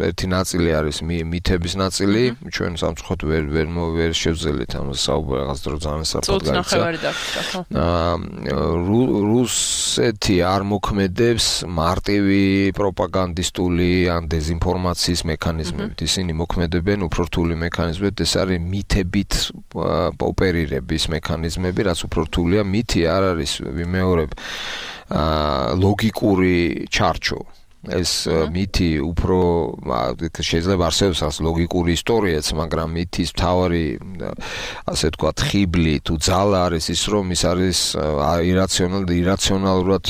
ერთი ნაწილი არის მითების ნაწილი, ჩვენ სამწუხაროდ ვერ ვერ ვერ შევძელით ამას საუბარი, რაღაც დრო ძალიან საფრთხე გაიცა. რუსეთი არ მოქმედებს მარტივი პროპაგანდისტული ან დეზინფორმაციის მექანიზმებით, ისინი მოქმედებენ უფრო რთული მექანიზმებით, ეს არის მითებით ოპერირების მექანიზმები, რაც უფრო რთულია, მითი არ არის ვიმეორებ ლოგიკური ჩარჩო. ეს მითი უფრო შეიძლება არსებობს as ლოგიკური ისტორიაც, მაგრამ მითის მთავარი ასე ვთქვათ ხიბლი თუ ძალა არის ის, რომ ის არის ირაციონალურად ირაციონალურად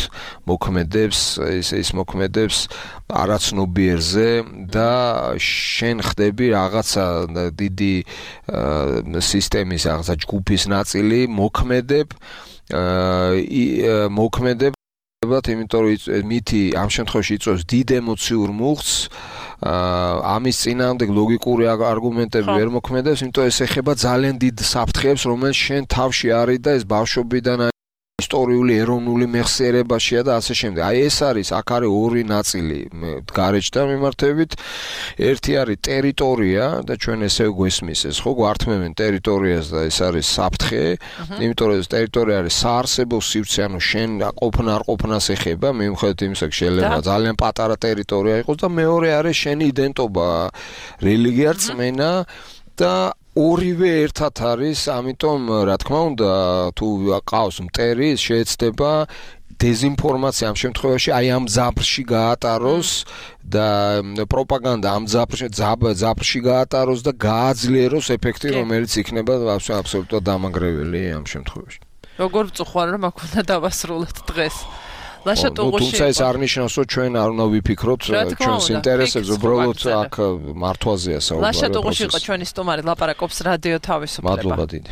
მოქმედებს, ის ის მოქმედებს არაცნობიერზე და შენ ხდები რაღაცა დიდი სისტემის რაღაცა ჯგუფის ნაწილი მოქმედებ მოქმედებ იმიტომ რომ მითი ამ შემთხვევაში იწვევს დიდ ემოციურ მუხტს, ამის წინააღმდეგ ლოგიკური არგუმენტები ვერ მოქმედებს, იმიტომ ეს ეხება ძალიან დიდ საფრთხეებს, რომელიც შენ თავში არის და ეს ბავშვობიდან ისტორიული ეროვნული მეხსიერებაშია და ასე შემდეგ. აი ეს არის, აქ არის ორი ნაწილი გარეჯთან მიმართებით. ერთი არის ტერიტორია და ჩვენ ესე გვესმის ეს, ხო, გვართმევენ ტერიტორიას და ეს არის საფრთხე, იმიტომ რომ ეს ტერიტორია არის საარსებო სივრცე, ანუ შენ ყოფნა არ ყოფნას ეხება, მიუხედავად იმისა, შეიძლება ძალიან პატარა ტერიტორია იყოს და მეორე არის შენი იდენტობა, რელიგია, რწმენა და ორივე ერთად არის, ამიტომ რა თქმა უნდა, თუ ყავს მტერი, შეეცდება დეზინფორმაცია ამ შემთხვევაში აი ამ ძაბრში გაატაროს და პროპაგანდა ამ ძაბრში ძაბრში გაატაროს და გააძლიეროს ეფექტი, რომელიც იქნება აბსოლუტურად დამანგრეველი ამ შემთხვევაში. როგორ ვწუხარ, რომ აქ უნდა დავასრულოთ დღეს. ლაშა ტუღუში. თუმცა ეს არ ნიშნავს, რომ ჩვენ არ უნდა ვიფიქროთ ჩვენს ინტერესებს, უბრალოდ აქ მართვაზეა საუბარი. ლაშა ტუღუში იყო ჩვენი სტუმარი, ლაპარაკობს რადიო თავისუფლება. მადლობა დიდი.